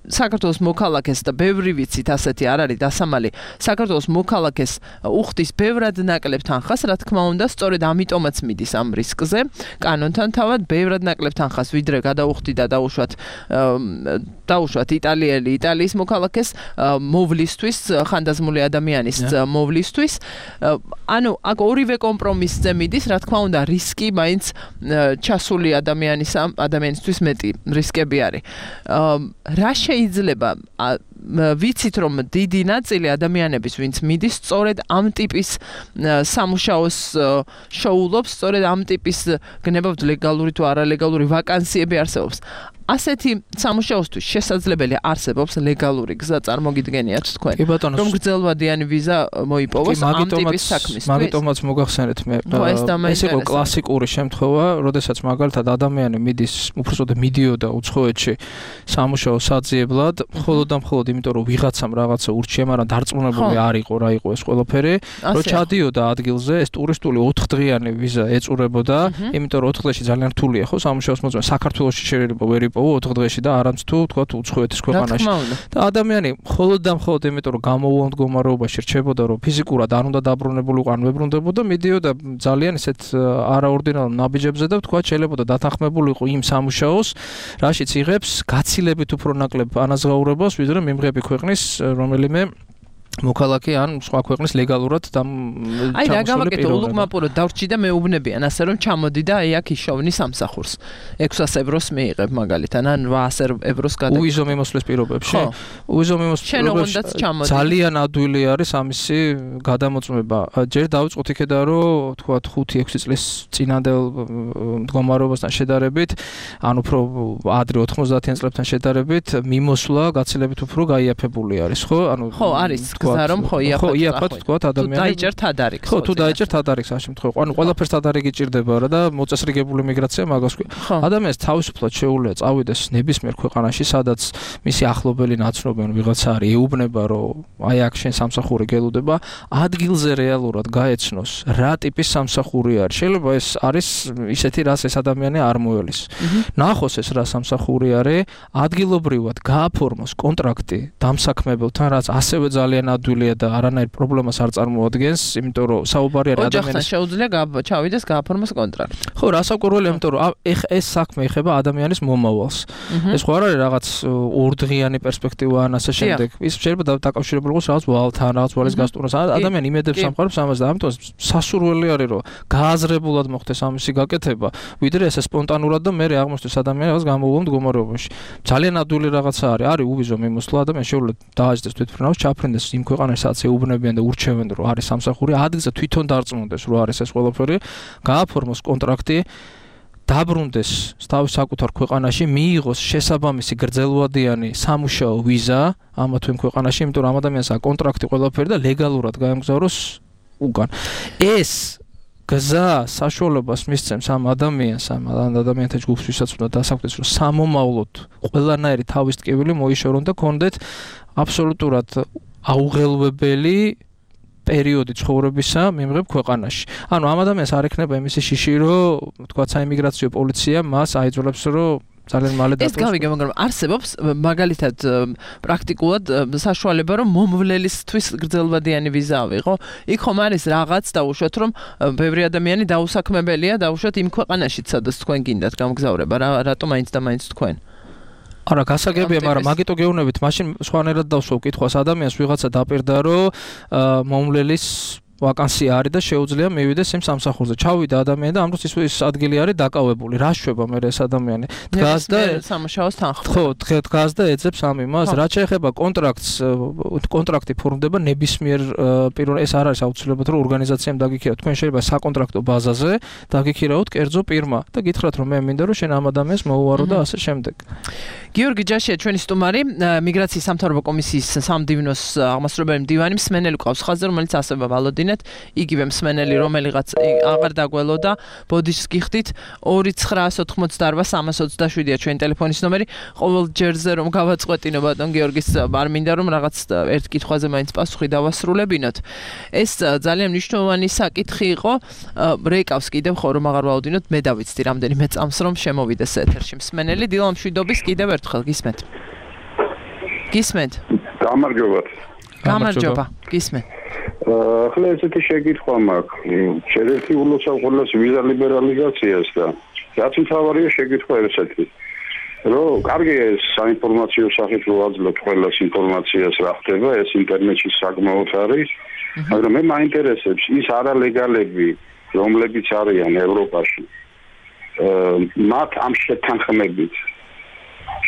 საქართველოს მოქალაქეს და ბევრი ვიცით ასეთი არ არის დასამალი საქართველოს მოქალაქეს უხდის ბევრად ნაკლებ თანხას, რა თქმა უნდა, სწორედ ამიტომაც მიდის ამ რისკზე კანონთან თავად ბევრად ნაკლებ თანხას, ვიდრე გადაუხდიდა დაუშვათ იტალიის მოქალაქეს მოვლისთვის, ხანდაზმული ადამიანის მოვლისთვის. ანუ აქ ორივე კომპრომისზე მიდის, რა თქმა უნდა, რისკი მაინც ჩასული ადამიანისთვის მეტი რისკები არის. რა შეიძლება ვიცით რომ დიდი ნაწილი ადამიანების ვინც მიდის სწორედ ამ ტიპის სამუშაოს შოულობს, სწორედ ამ ტიპის გნებავთ ლეგალური თუ არალეგალური ვაკანსიები არსებობს. ასეთი სამუშაოსთვის შესაძლებელი არსებობს ლეგალური გზა წარმოგიდგენიათ თქვენ, რომ გრძელვადიანი ვიზა მოიპოვოს ამ ტიპის საქმისთვის. მაგიტომაც მოგახსენეთ მე. ეს იყო კლასიკური შემთხვევა, როდესაც მაგალითად ადამიანი მიდის, უბრალოდ მიდიოდა უცხოეთში სამუშაო საძიებლად, მხოლოდ და მხოლოდ იმიტომ რომ ვიღაცამ რაღაცა ურჩია, მაგრამ დარწმუნებული არ იყო რა იყო ეს ყველაფერი, რომ ჩადიოდა ადგილზე, ეს ტურისტული 4 დღიანი ვიზა ეწურებოდა, იმიტომ რომ 4 დღეში ძალიან რთულია ხო სამუშაოს მოწმენა, საქართველოში შეიძლება ვერ 4 დღეში და არამც თუ თქვათ უცხოეთის ქვეყანაში. და ადამიანი მხოლოდ და მხოლოდ იმიტომ რომ გამოუვა მდგომარეობაში რჩებოდა რომ ფიზიკურად არ უნდა დაბრუნებულიყო, არ მებრუნდებოდა, მიდიოდა ძალიან ისეთ არაორდინალურ ნაბიჯებზე და თქვათ შეიძლება დათანხმებულიყო იმ სამუშაოს, რაშიც იღებს გაცილებით უფრო ნაკლებ ანაზღაურებას, ვიდრე მიმღები ქვეყნის რომელიმე მოქალაქე ან სხვა ქვეყნის ლეგალურად აი რა გავაკეთო ულუგმაპუროდ დავრჩი და მეუბნებიან ასე რომ ჩამოდი და აი აქ ისშოვნი სამსახურს 600 ევროს მიიღებ მაგალითად ან 800 ევროს გადაგ უვიზო მიმოსვლის პირობებში უვიზო მიმოსვლის პირობებში ძალიან ადვილი არის ამისი გადამოწმება ჯერ დავიწყოთ იქედან რომ თქვა 5-6 წლის წინანდელ მდგომარეობასთან შედარებით ან უფრო ადრე 90-იან წლებთან შედარებით მიმოსვლა გაცილებით უფრო გაიაფებული არის ხო ანუ ხო არის გზარომ ხო იაფად თქვა ადამიანი დაიჭერ თადარიგს ხო თუ დაიჭერ თადარიგს ამ შემთხვევაში ანუ ყველაფერს თადარიგი ჭირდება რა და მოწესრიგებული მიგრაცია მაგას ქვია ადამიანს თავისუფლად შეუძლია წავიდეს ნებისმიერ ქვეყანაში სადაც მისი ახლობელი ნაცნობენ ვიღაცა არის ეუბნება რომ აი აქ შენ სამსახური გელუდება ადგილზე რეალურად გაეცნოს რა ტიპის სამსახური არის შეიძლება ეს არის ისეთი რას ეს ადამიანი არ მოელის ნახოს ეს რა სამსახური არის ადგილობრივად გააფორმოს კონტრაქტი დამსაქმებელთან რაც ასევე ძალიან ადვილია და არანაირ პრობლემას არ წარმოადგენს, იმიტომ რომ საუბარი არის ადამიანის ოჯახთან შეუძლია ჩავიდეს გააფორმოს კონტრაქტი. ხო, რასაკვირველია, იმიტომ რომ ეს საქმე ეხება ადამიანის მომავალს. ეს ხო არ არის რაღაც ორდღიანი პერსპექტივა ან ასე შემდეგ. ის შეიძლება დაკავშირებული იყოს რაღაც ვალთან, რაღაც ვალის გასტურას. ადამიანი იმედებს სამყაროს ამას და ამიტომ სასურველი არის რომ გააზრებულად მოხდეს ამისი გაკეთება, ვიდრე ესე სპონტანურად და მე აღმოსდეს ადამიანი რაღაც გამოუვა მდგომარეობაში. ძალიან ადვილი რაღაცა არის. არის უვიზო მიმოსვლა ადამიანს შეუძლია დააჯდეს თვითმფრინავს ჩაფრინდეს იმ ქვეყანაში სადაც ეუბნებიან და ურჩევენ რომ არის სამსახური ადგილზე თვითონ დარწმუნდეს რომ არის ეს ყველაფერი გააფორმოს კონტრაქტი დაბრუნდეს თავის საკუთარ ქვეყანაში მიიღოს შესაბამისი გრძელვადიანი სამუშაო ვიზა ამა თუ იმ ქვეყანაში იმიტომ რომ ამ ადამიანს აქვს კონტრაქტი ყველაფერი და ლეგალურად გაემგზავროს უკან ეს გზა საშუალებას მისცემს ამ ადამიანთა ჯგუფს, ვისაც უნდა დასაკვირდეს, რომ სამომავლოდ ყველანაირი თავის ტკივილი მოიშორონ და კონდეთ აბსოლუტურად აუღელვებელი პერიოდი ცხოვრებისა მიმღებ ქვეყანაში. ანუ ამ ადამიანს არ ექნება იმისი შიში, რომ თქვა საიმიგრაციო პოლიცია მას აიძულებს, რომ ძალიან მალე დატოვოს. ეს გავიგე, მაგრამ არსებობს მაგალითად პრაქტიკულად საშუალება, რომ მომვლელისთვის გრძელვადიანი ვიზა ავიღო. იქ ხომ არის რაღაც დაუშვათ, რომ ბევრი ადამიანი დაუსაქმებელია, დაუშვათ იმ ქვეყანაშიც, სადაც თქვენ გინდათ გამგზავრება, რატომ მაინც და მაინც თქვენ? არა, გასაგებია, მაგრამ მაგიტო გეუბნებით, მაშინ სხვანაირად დავსვავ კითხვას ადამიანს, ვიღაცა დაპირდა, რომ მომვლელის ვაკანსია არის და შეუძლია მივიდეს იმ სამსახურზე. ჩავიდა ადამიანი და ამ დროს ის ადგილი არის დაკავებული. რა შვება მე ეს ადამიანი? დგას და სამუშაოს თანხმობა. ხო, დგას და ეძებს ამ იმას. რა შეეხება კონტრაქტს, კონტრაქტი ფორმდება ნებისმიერ პიროვნებას. ეს არ არის აუცილებლად, რომ ორგანიზაციამ დაგიქირავთ. თქვენ შეიძლება საკონტრაქტო ბაზაზე დაგიქირავოთ კერძო პირმა და გითხრათ, რომ მე მინდა, რომ შენ ამ ადამიანს მოუვარო და ასე შემდეგ. გიორგი ჯაშია ჩვენი სტუმარი, მიგრაციის სამთავრობო კომისიის სამდივნოს აღმასრულებელი მდივანი, მსმენელი ყავს ხაზზე, რომელიც ასევე ვალოდინეთ, იგივე მსმენელი, რომელიღაც აღარ დაგველოდა, ბოდიშს გიხდით 2988327-ია ჩვენი ტელეფონის ნომერი. ყოველ ჯერზე რომ გავაწყვეტინო ბატონ გიორგის, არ მინდა რომ რაღაც ერთ კითხვაზე მაინც პასუხი დავასრულებინოთ. ეს ძალიან მნიშვნელოვანი საკითხი იყო. რეკავს კიდევ ხო რომ აღარ ვალოდინოთ, მე დავიცდი რამდენიმე წამს რომ შემოვიდეს ეთერში მსმენელი. დილა მშვიდობის კიდევ ერთხელ გისმენთ. გამარჯობათ. გამარჯობა, გისმენთ. ახლა ესეთი შეკითხვა მაქვს. ერთ-ერთი ულოცავ ვიზა ლიბერალიზაციას და რაც მთავარია შეკითხვა ესეთი. რომ კარგია ეს საინფორმაციო სახით რო აძლევთ ყველას ინფორმაციას რა ხდება, ეს ინტერნეტში საკმაოდ არის, მაგრამ მე მაინტერესებს ის არალეგალები, რომლებიც არიან ევროპაში. მათ ამ შეთანხმებით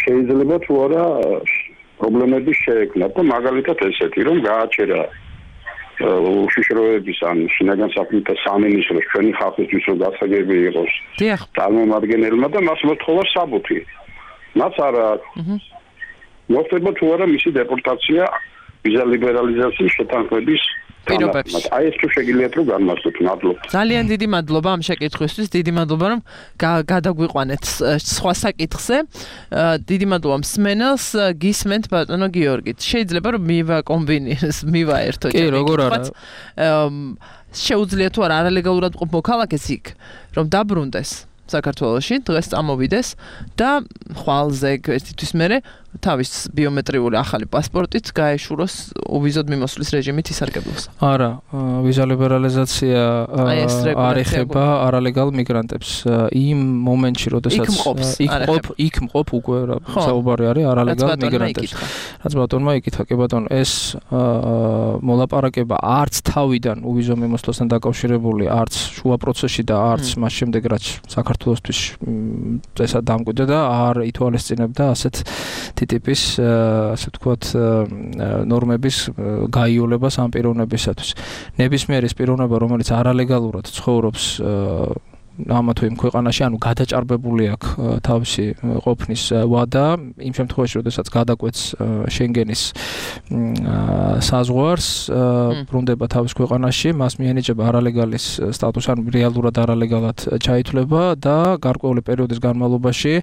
შეიძლება თუ არა პრობლემები შეექმნათ და მაგალითად ესეთი რომ გააჩერა უშიშროების ან შინაგან საქმეთა სამინისტროს ჩვენი ხალხისთვის რომ გასაგები იყოს წარმომადგენელმა და მას მოთხოვა საბუთი. მას არა მოხდება თუ არა მისი დეპორტაცია ვიზა ლიბერალიზაციის შეთანხმების პირობებში. აი ეს თუ შეგიძლიათ რომ განმარტოთ, მადლობა. ძალიან დიდი მადლობა ამ შეკითხვისთვის, დიდი მადლობა რომ გადაგვიყვანეთ სხვა საკითხზე. დიდი მადლობა მსმენელს, გისმენთ ბატონო გიორგით. შეიძლება რომ მივა ერთო კი, როგორ არა. შეუძლია თუ არა არალეგალურად მყოფ მოქალაქეს იქ რომ დაბრუნდეს საქართველოში, დღეს წამოვიდეს და ხვალზე ერთთვის მერე თავის ბიომეტრიული ახალი პასპორტით გაეშუროს უვიზოდ მიმოსვლის რეჟიმით ისარგებლოს. არა, ვიზა ლიბერალიზაცია არ ეხება არალეგალ მიგრანტებს. იმ მომენტში, როდესაც იქ მყოფ უკვე საუბარი არის არალეგალ მიგრანტებს. რაც ბატონმა იკითხა, კი ბატონო, ეს მოლაპარაკება არც თავიდან უვიზო მიმოსვლასთან დაკავშირებული, არც შუა პროცესში და არც მას შემდეგ რაც საქართველოსთვის წესად დამკვიდრდა და არ ითვალისწინებდა ასეთ ტიპის ასე ვთქვათ ნორმების გაიოლებას ამ პიროვნებისათვის. ნებისმიერი პიროვნება, რომელიც არალეგალურად ცხოვრობს ამა თუ იმ ქვეყანაში, ანუ გადაჭარბებული აქვს თავისი ყოფნის ვადა, იმ შემთხვევაში, როდესაც გადაკვეთს შენგენის საზღვარს, ბრუნდება თავის ქვეყანაში, მას მიენიჭება არალეგალის სტატუსი, ანუ რეალურად არალეგალად ჩაითვლება და გარკვეული პერიოდის განმავლობაში,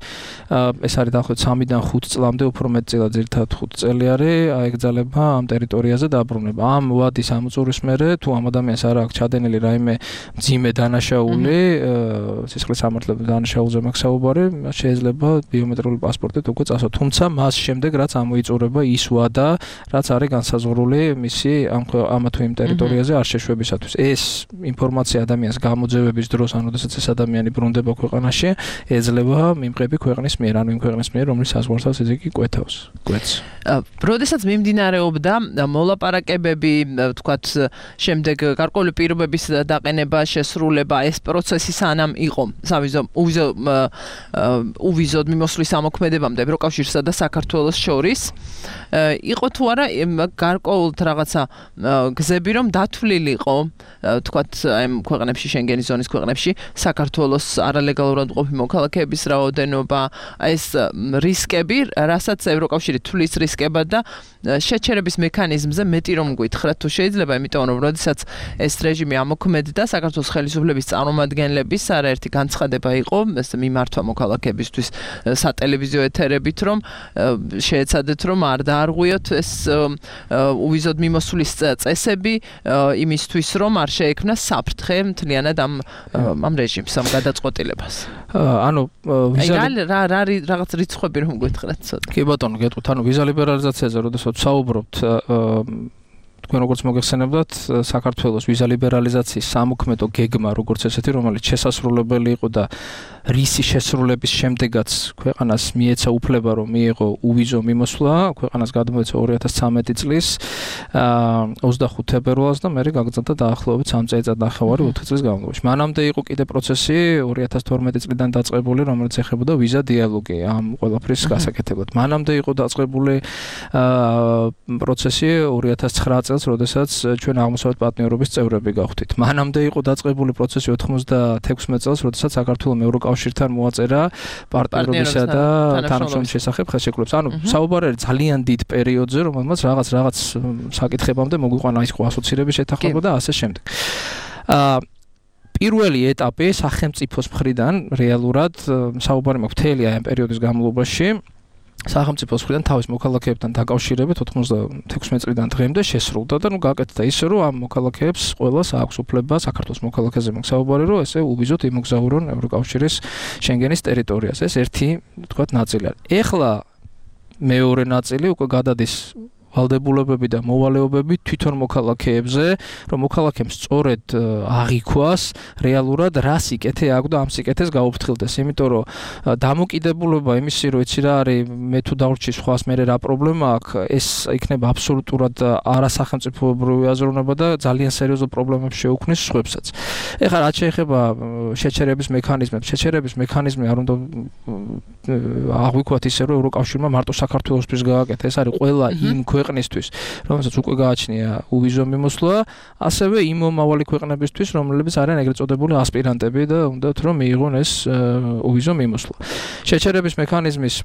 ეს არის დაახლოებით 3-დან 5 წლამდე, უფრო მეტწილად ძირითადად 5 წელი არის, აეკრძალება ამ ტერიტორიაზე დაბრუნება. ამ ვადის ამოწურვის მერე, თუ ამ ადამიანს არ აქვს ჩადენილი რაიმე მძიმე დანაშაული, სისხლის სამართლებრივ დანაშაულზე მაქვს საუბარი, შეიძლება ბიომეტრიული პასპორტით უკვე წასვლა. თუმცა მას შემდეგ რაც ამოიწურება ის ვადა, რაც არის განსაზღვრული მისი ამა თუ იმ ტერიტორიაზე არ შეშვებისათვის. ეს ინფორმაცია ადამიანს გამოძევების დროს, ან როდესაც ეს ადამიანი ბრუნდება ქვეყანაში, ეძლევა მიმღები ქვეყნის მიერ, ანუ იმ ქვეყნის მიერ, რომლის საზღვარსაც ეს იგი კვეთავს. როდესაც მიმდინარეობდა მოლაპარაკებები, ვთქვათ, შემდეგ გარკვეული პირობების დაყენება, შესრულება, ეს პროცესი სანამ სანამ იყო უვიზოდ მიმოსვლის ამოქმედებამდე ევროკავშირსა და საქართველოს შორის იყო თუ არა გარკვეულთ რაღაცა გზები რომ დათვლილიყო თქვათ აი ქვეყნებში შენგენის ზონის ქვეყნებში საქართველოს არალეგალურად მყოფი მოქალაქეების რაოდენობა ეს რისკები რასაც ევროკავშირი თვლის რისკებად და შეჩერების მექანიზმზე მეტი რომ გითხრათ თუ შეიძლება იმიტომ რომ როდესაც ეს რეჟიმი ამოქმედდა საქართველოს ხელისუფლების წარმომადგენლების არაერთი განცხადება იყო ეს მიმართვა მოქალაქეებისთვის სატელევიზიო ეთერებით რომ შეეცადეთ რომ არ დაარღვიოთ ეს უვიზოდ მიმოსვლის წესები იმისთვის რომ არ შეექმნას საფრთხე მთლიანად ამ რეჟიმს ამ გადაწყვეტილებას ანუ რაღაც რიცხვები რომ გითხრათ ცოტა კი ბატონო გეტყვით ანუ ვიზა ლიბერალიზაციაზე როდესაც საუბრობთ თქვენ როგორც მოგეხსენებდათ საქართველოს ვიზა ლიბერალიზაციის სამოქმედო გეგმა როგორც ესეთი რომელიც შესასრულებელი იყო და რისი შესრულების შემდეგაც ქვეყანას მიეცა უფლება რომ მიიღო უვიზო მიმოსვლა ქვეყანას გადმოეცა 2013 წლის 25 თებერვალს და მერე გაგრძელდა დაახლოებით 3 წელიწად-ნახევარი 4 წლის განმავლობაში. მანამდე იყო კიდე პროცესი 2012 წლიდან დაწყებული რომელიც ეხებოდა ვიზა დიალოგი ამ ყველაფრის გასაკეთებლად. მანამდე იყო დაწყებული პროცესი 2009 წელს როდესაც ჩვენ აღმოსავლეთ პარტნიორობის წევრები გავხდით. მანამდე იყო დაწყებული პროცესი 96 წელს როდესაც საქართველოს ევროკავშირთან მოაწერა პარტნიორობისა და თანამშრომლობის შესახებ ხელშეკრულებას. ანუ საუბარი არის ძალიან დიდ პერიოდზე, რომელმაც რაღაც საკითხებამდე მოგვიყვანა ის ასოცირების შეთანხმება და ასე შემდეგ. პირველი ეტაპი სახელმწიფოს მხრიდან რეალურად საუბარი მაქვს მთელი ამ პერიოდის განმავლობაში სახელმწიფოს მხრიდან თავის მოქალაქეებთან დაკავშირებით 96 წლიდან დღემდე შესრულდა და გაკეთდა ისე რომ ამ მოქალაქეებს ყველას აქვს უფლება საქართველოს მოქალაქეზე მოგსაუბარი რომ ესე უვიზოთ იმოგზაურონ ევროკავშირის შენგენის ტერიტორიაზე. ეს ერთი თქვათ ნაწილი არის. ეხლა მეორე ნაწილი უკვე გადადის ვალდებულებები და მოვალეობები თვითონ მოქალაქეებზე, რომ მოქალაქეებს სწორედ აღიქვას რეალურად რა სიკეთე აქვს და ამ სიკეთეს გაუფრთხილდეს. იმიტომ რომ დამოკიდებულება იმისი რომ იცი რა არის მე თუ დავრჩი სხვას მე რა პრობლემა აქვს, ეს იქნება აბსოლუტურად არასახელმწიფოებრივი აზროვნება და ძალიან სერიოზულ პრობლემებს შეუქმნის სხვებსაც. ეხლა რაც შეეხება შეჩერების მექანიზმებს, შეჩერების მექანიზმი არ უნდა აღვიქვათ ისე რომ ევროკავშირმა მარტო საქართველოსთვის გააკეთა. ეს არის ყველა იმ ქვეყნისთვის, რომელსაც უკვე გააჩნია უვიზო მიმოსვლა, ასევე იმ მომავალი ქვეყნებისთვის, რომლებიც არიან ეგრეთ წოდებული ასპირანტები და უნდათ რომ მიიღონ ეს უვიზო მიმოსვლა. შეჩერების მექანიზმის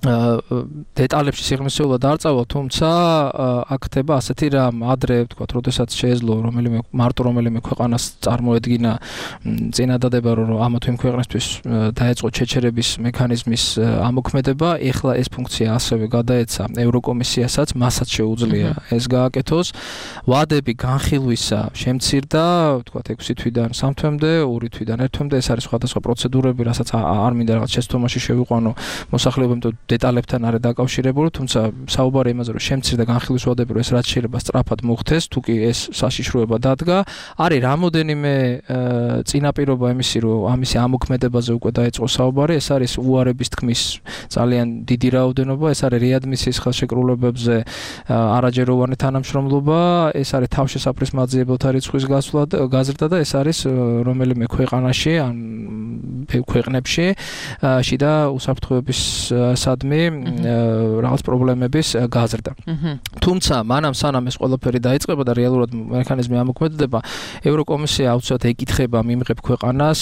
დეტალებში სიღრმისეულად არ წავალ, თუმცა აქ ხდება ასეთი რამ ადრე ვთქვათ, როდესაც შეეძლო რომელიმე ქვეყანას წარმოედგინა წინადადება, რომ ამა თუ იმ ქვეყნისთვის დაეწყო შეჩერების მექანიზმის ამოქმედება, ეხლა ეს ფუნქცია ასევე გადაეცა ევროკომისიასაც, მასაც შეუძლია ეს გააკეთოს. ვადები განხილვისა შემცირდა, ვთქვათ 6 თვიდან 3 თვემდე, 2 თვიდან 1 თვემდე, ეს არის სხვადასხვა პროცედურები, რასაც არ მინდა რაღაც შეცდომაში შევიყვანო მოსახლეობამ დეტალებთან არის დაკავშირებული, თუმცა საუბარი იმაზე რომ შემცირდა განხილვის ვადები, რომ ეს რაც შეიძლება სწრაფად მოხდეს, თუ კი ეს საშიშროება დადგა, არის რამოდენიმე წინაპირობა იმისი, რომ ამისი ამოქმედებაზე უკვე დაიწყო საუბარი, ეს არის უარების თქმის ძალიან დიდი რაოდენობა, ეს არის რეადმისიის ხელშეკრულებებზე არაჯეროვანი თანამშრომლობა, ეს არის თავშესაფრის მაძიებელთა რიცხვის გაზრდა და ეს არის რომელიმე ქვეყანაში ან ქვეყნებში შიდა უსაფრთხოების რაღაც პრობლემების გაზრდა. თუმცა მანამ სანამ ეს ყველაფერი დაიწყება და რეალურად მექანიზმი ამოქმედდება, ევროკომისია აუცილებლად ეკითხება მიმღებ ქვეყანას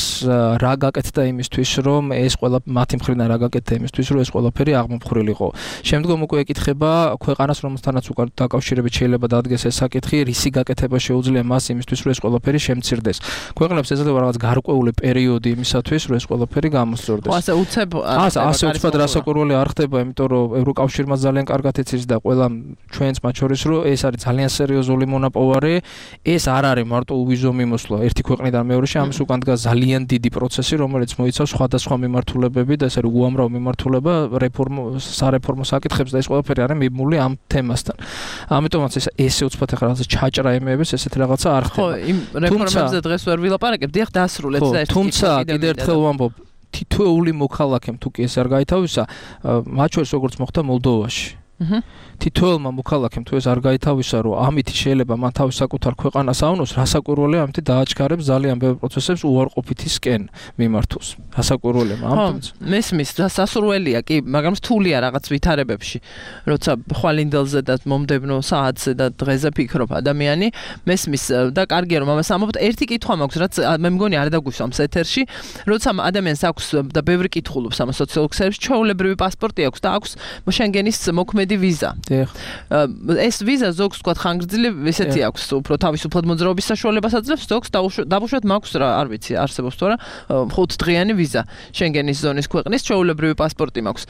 რა გაკეთდა იმისთვის, რომ ეს ყველა მათი მხრიდან რა გაკეთდა იმისთვის, რომ ეს ყველაფერი აღმოფხრილიყო. შემდგომ უკვე ეკითხება ქვეყანას, რომელთანაც უკვე დაკავშირებით შეიძლება დადგეს ეს საკითხი, რისი გაკეთება შეუძლია მას იმისთვის, რომ ეს ყველაფერი შემცირდეს. ქვეყნებს ეძლევა რაღაც გარკვეული პერიოდი იმისათვის, რომ ეს ყველაფერი გამოსწორდეს. ასე უცებ რასაკვირველი არ ხდება, იმიტომ რომ ევროკავშირმა ძალიან კარგად იცის და ყველა ჩვენს მათ შორის რომ ეს არის ძალიან სერიოზული მონაპოვარი, ეს არ არის მარტო უვიზო მიმოსვლა ერთი ქვეყნიდან მეორეში, ამის უკან დგას ძალიან დიდი პროცესი, რომელიც მოიცავს სხვადასხვა მიმართულებები და ეს არის უამრავ მიმართულება სარეფორმო საკითხებს და ეს ყველაფერი არის მიბმული ამ თემასთან. ამიტომაც ესე უცბად ახლა რაღაც ჩაჭრა ემეების ესეთი რაღაცა არ ხდება. ხო, იმ რეფორმებზე დღეს ვერ ვილაპარაკებ, დიახ, დასრულეთ და ერთი თუმცა კიდე ერთხელ ვამბობ თითოეული მოქალაქემ თუ კი ეს არ გაითავისა, მათ შორის როგორც მოხდა მოლდოვაში. თითოეულმა მოქალაქემ თუ ეს არ გაითავისა, რომ ამით შეიძლება მან თავის საკუთარ ქვეყანას ავნოს, რასაკვირველია ამით დააჩქარებს ძალიან ბევრ პროცესებს უარყოფითისკენ მიმართოს. რასაკვირველია ამით. მესმის სასურველია კი, მაგრამ რთულია რაღაც ვითარებებში. როცა ხვალინდელზე და მომდევნო საათზე და დღეზე ფიქრობ ადამიანი, მესმის და კარგია რომ ამას ამობთ. ერთი კითხვა მაქვს, რაც მე მგონი არ დაგვისვამს ეთერში, როცა ადამიანს აქვს და ბევრი კითხულობს ამ სოციალურ ქსელებში, ჩვეულებრივი პასპორტი აქვს და აქვს შენგენის მოქმედი ვიზა. ეს ვიზა ზოგს თქვა ხანგრძლივი ესეთი აქვს, უფრო თავისუფლად მოძრაობის საშუალებას აძლევს, ზოგს დაუშვათ მაქვს რა, არ ვიცი, არსებობს თუ არა, 5 დღიანი ვიზა შენგენის ზონის ქვეყნის ჩვეულებრივი პასპორტი მაქვს.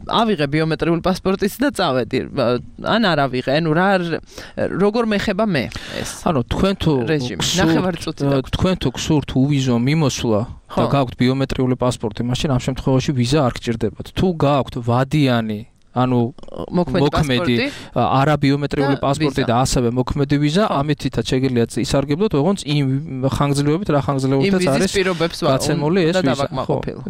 ავიღე ბიომეტრიული პასპორტიც და წავედი. ან არ ავიღე, ანუ როგორ მეხება მე ეს. ანუ თქვენ თუ გსურთ უვიზო მიმოსვლა და გაქვთ ბიომეტრიული პასპორტი, მაშინ ამ შემთხვევაში ვიზა არ გჭირდებათ. თუ გაქვთ ვადიანი ანუ მოქმედი არაბიომეტრიული პასპორტი და ასევე მოქმედი ვიზა, ამითაც შეგიძლიათ ისარგებლოთ, ოღონდ იმ ხანგრძლივობით, რა ხანგრძლივობითაც არის გაცემული ეს ვიზა.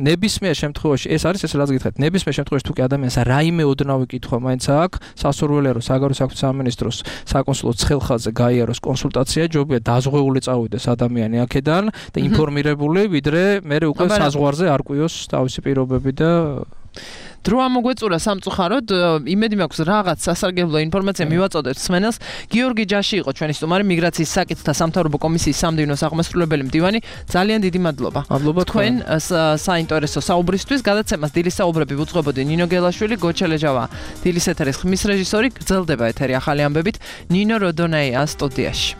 ნებისმიერ შემთხვევაში ეს არის ეს რაც გითხარით. ნებისმიერ შემთხვევაში თუ კი ადამიანს რაიმე ოდნავი კითხვა მაინც აქვს, სასურველია რომ საგარეო საქმეთა სამინისტროს საკონსულო ცხელხაზზე გაიაროს კონსულტაცია, ჯობია დაზღვეული წავიდეს ადამიანი აქედან და ინფორმირებული, ვიდრე მე უკვე საზღვარზე არ ყვიოს თავისი პირობები და დრო ამოგვეწურა სამწუხაროდ, იმედი მაქვს რაღაც სასარგებლო ინფორმაცია მივაწოდეთ მსმენელს. გიორგი ჯაში იყო ჩვენი სტუმარი, მიგრაციის საკითხთა სამთავრობო კომისიის სამდივნო აღმასრულებელი მდივანი. ძალიან დიდი მადლობა. მადლობა თქვენ საინტერესო საუბრისთვის. გადაცემას დილის საუბრები უძღვებოდი ნინო გელაშვილი, გოჩელეჯავა. დილის ეთერის ხმის რეჟისორი, გრძელდება ეთერი ახალი ამბებით. ნინო როდონეია სტუდიაში.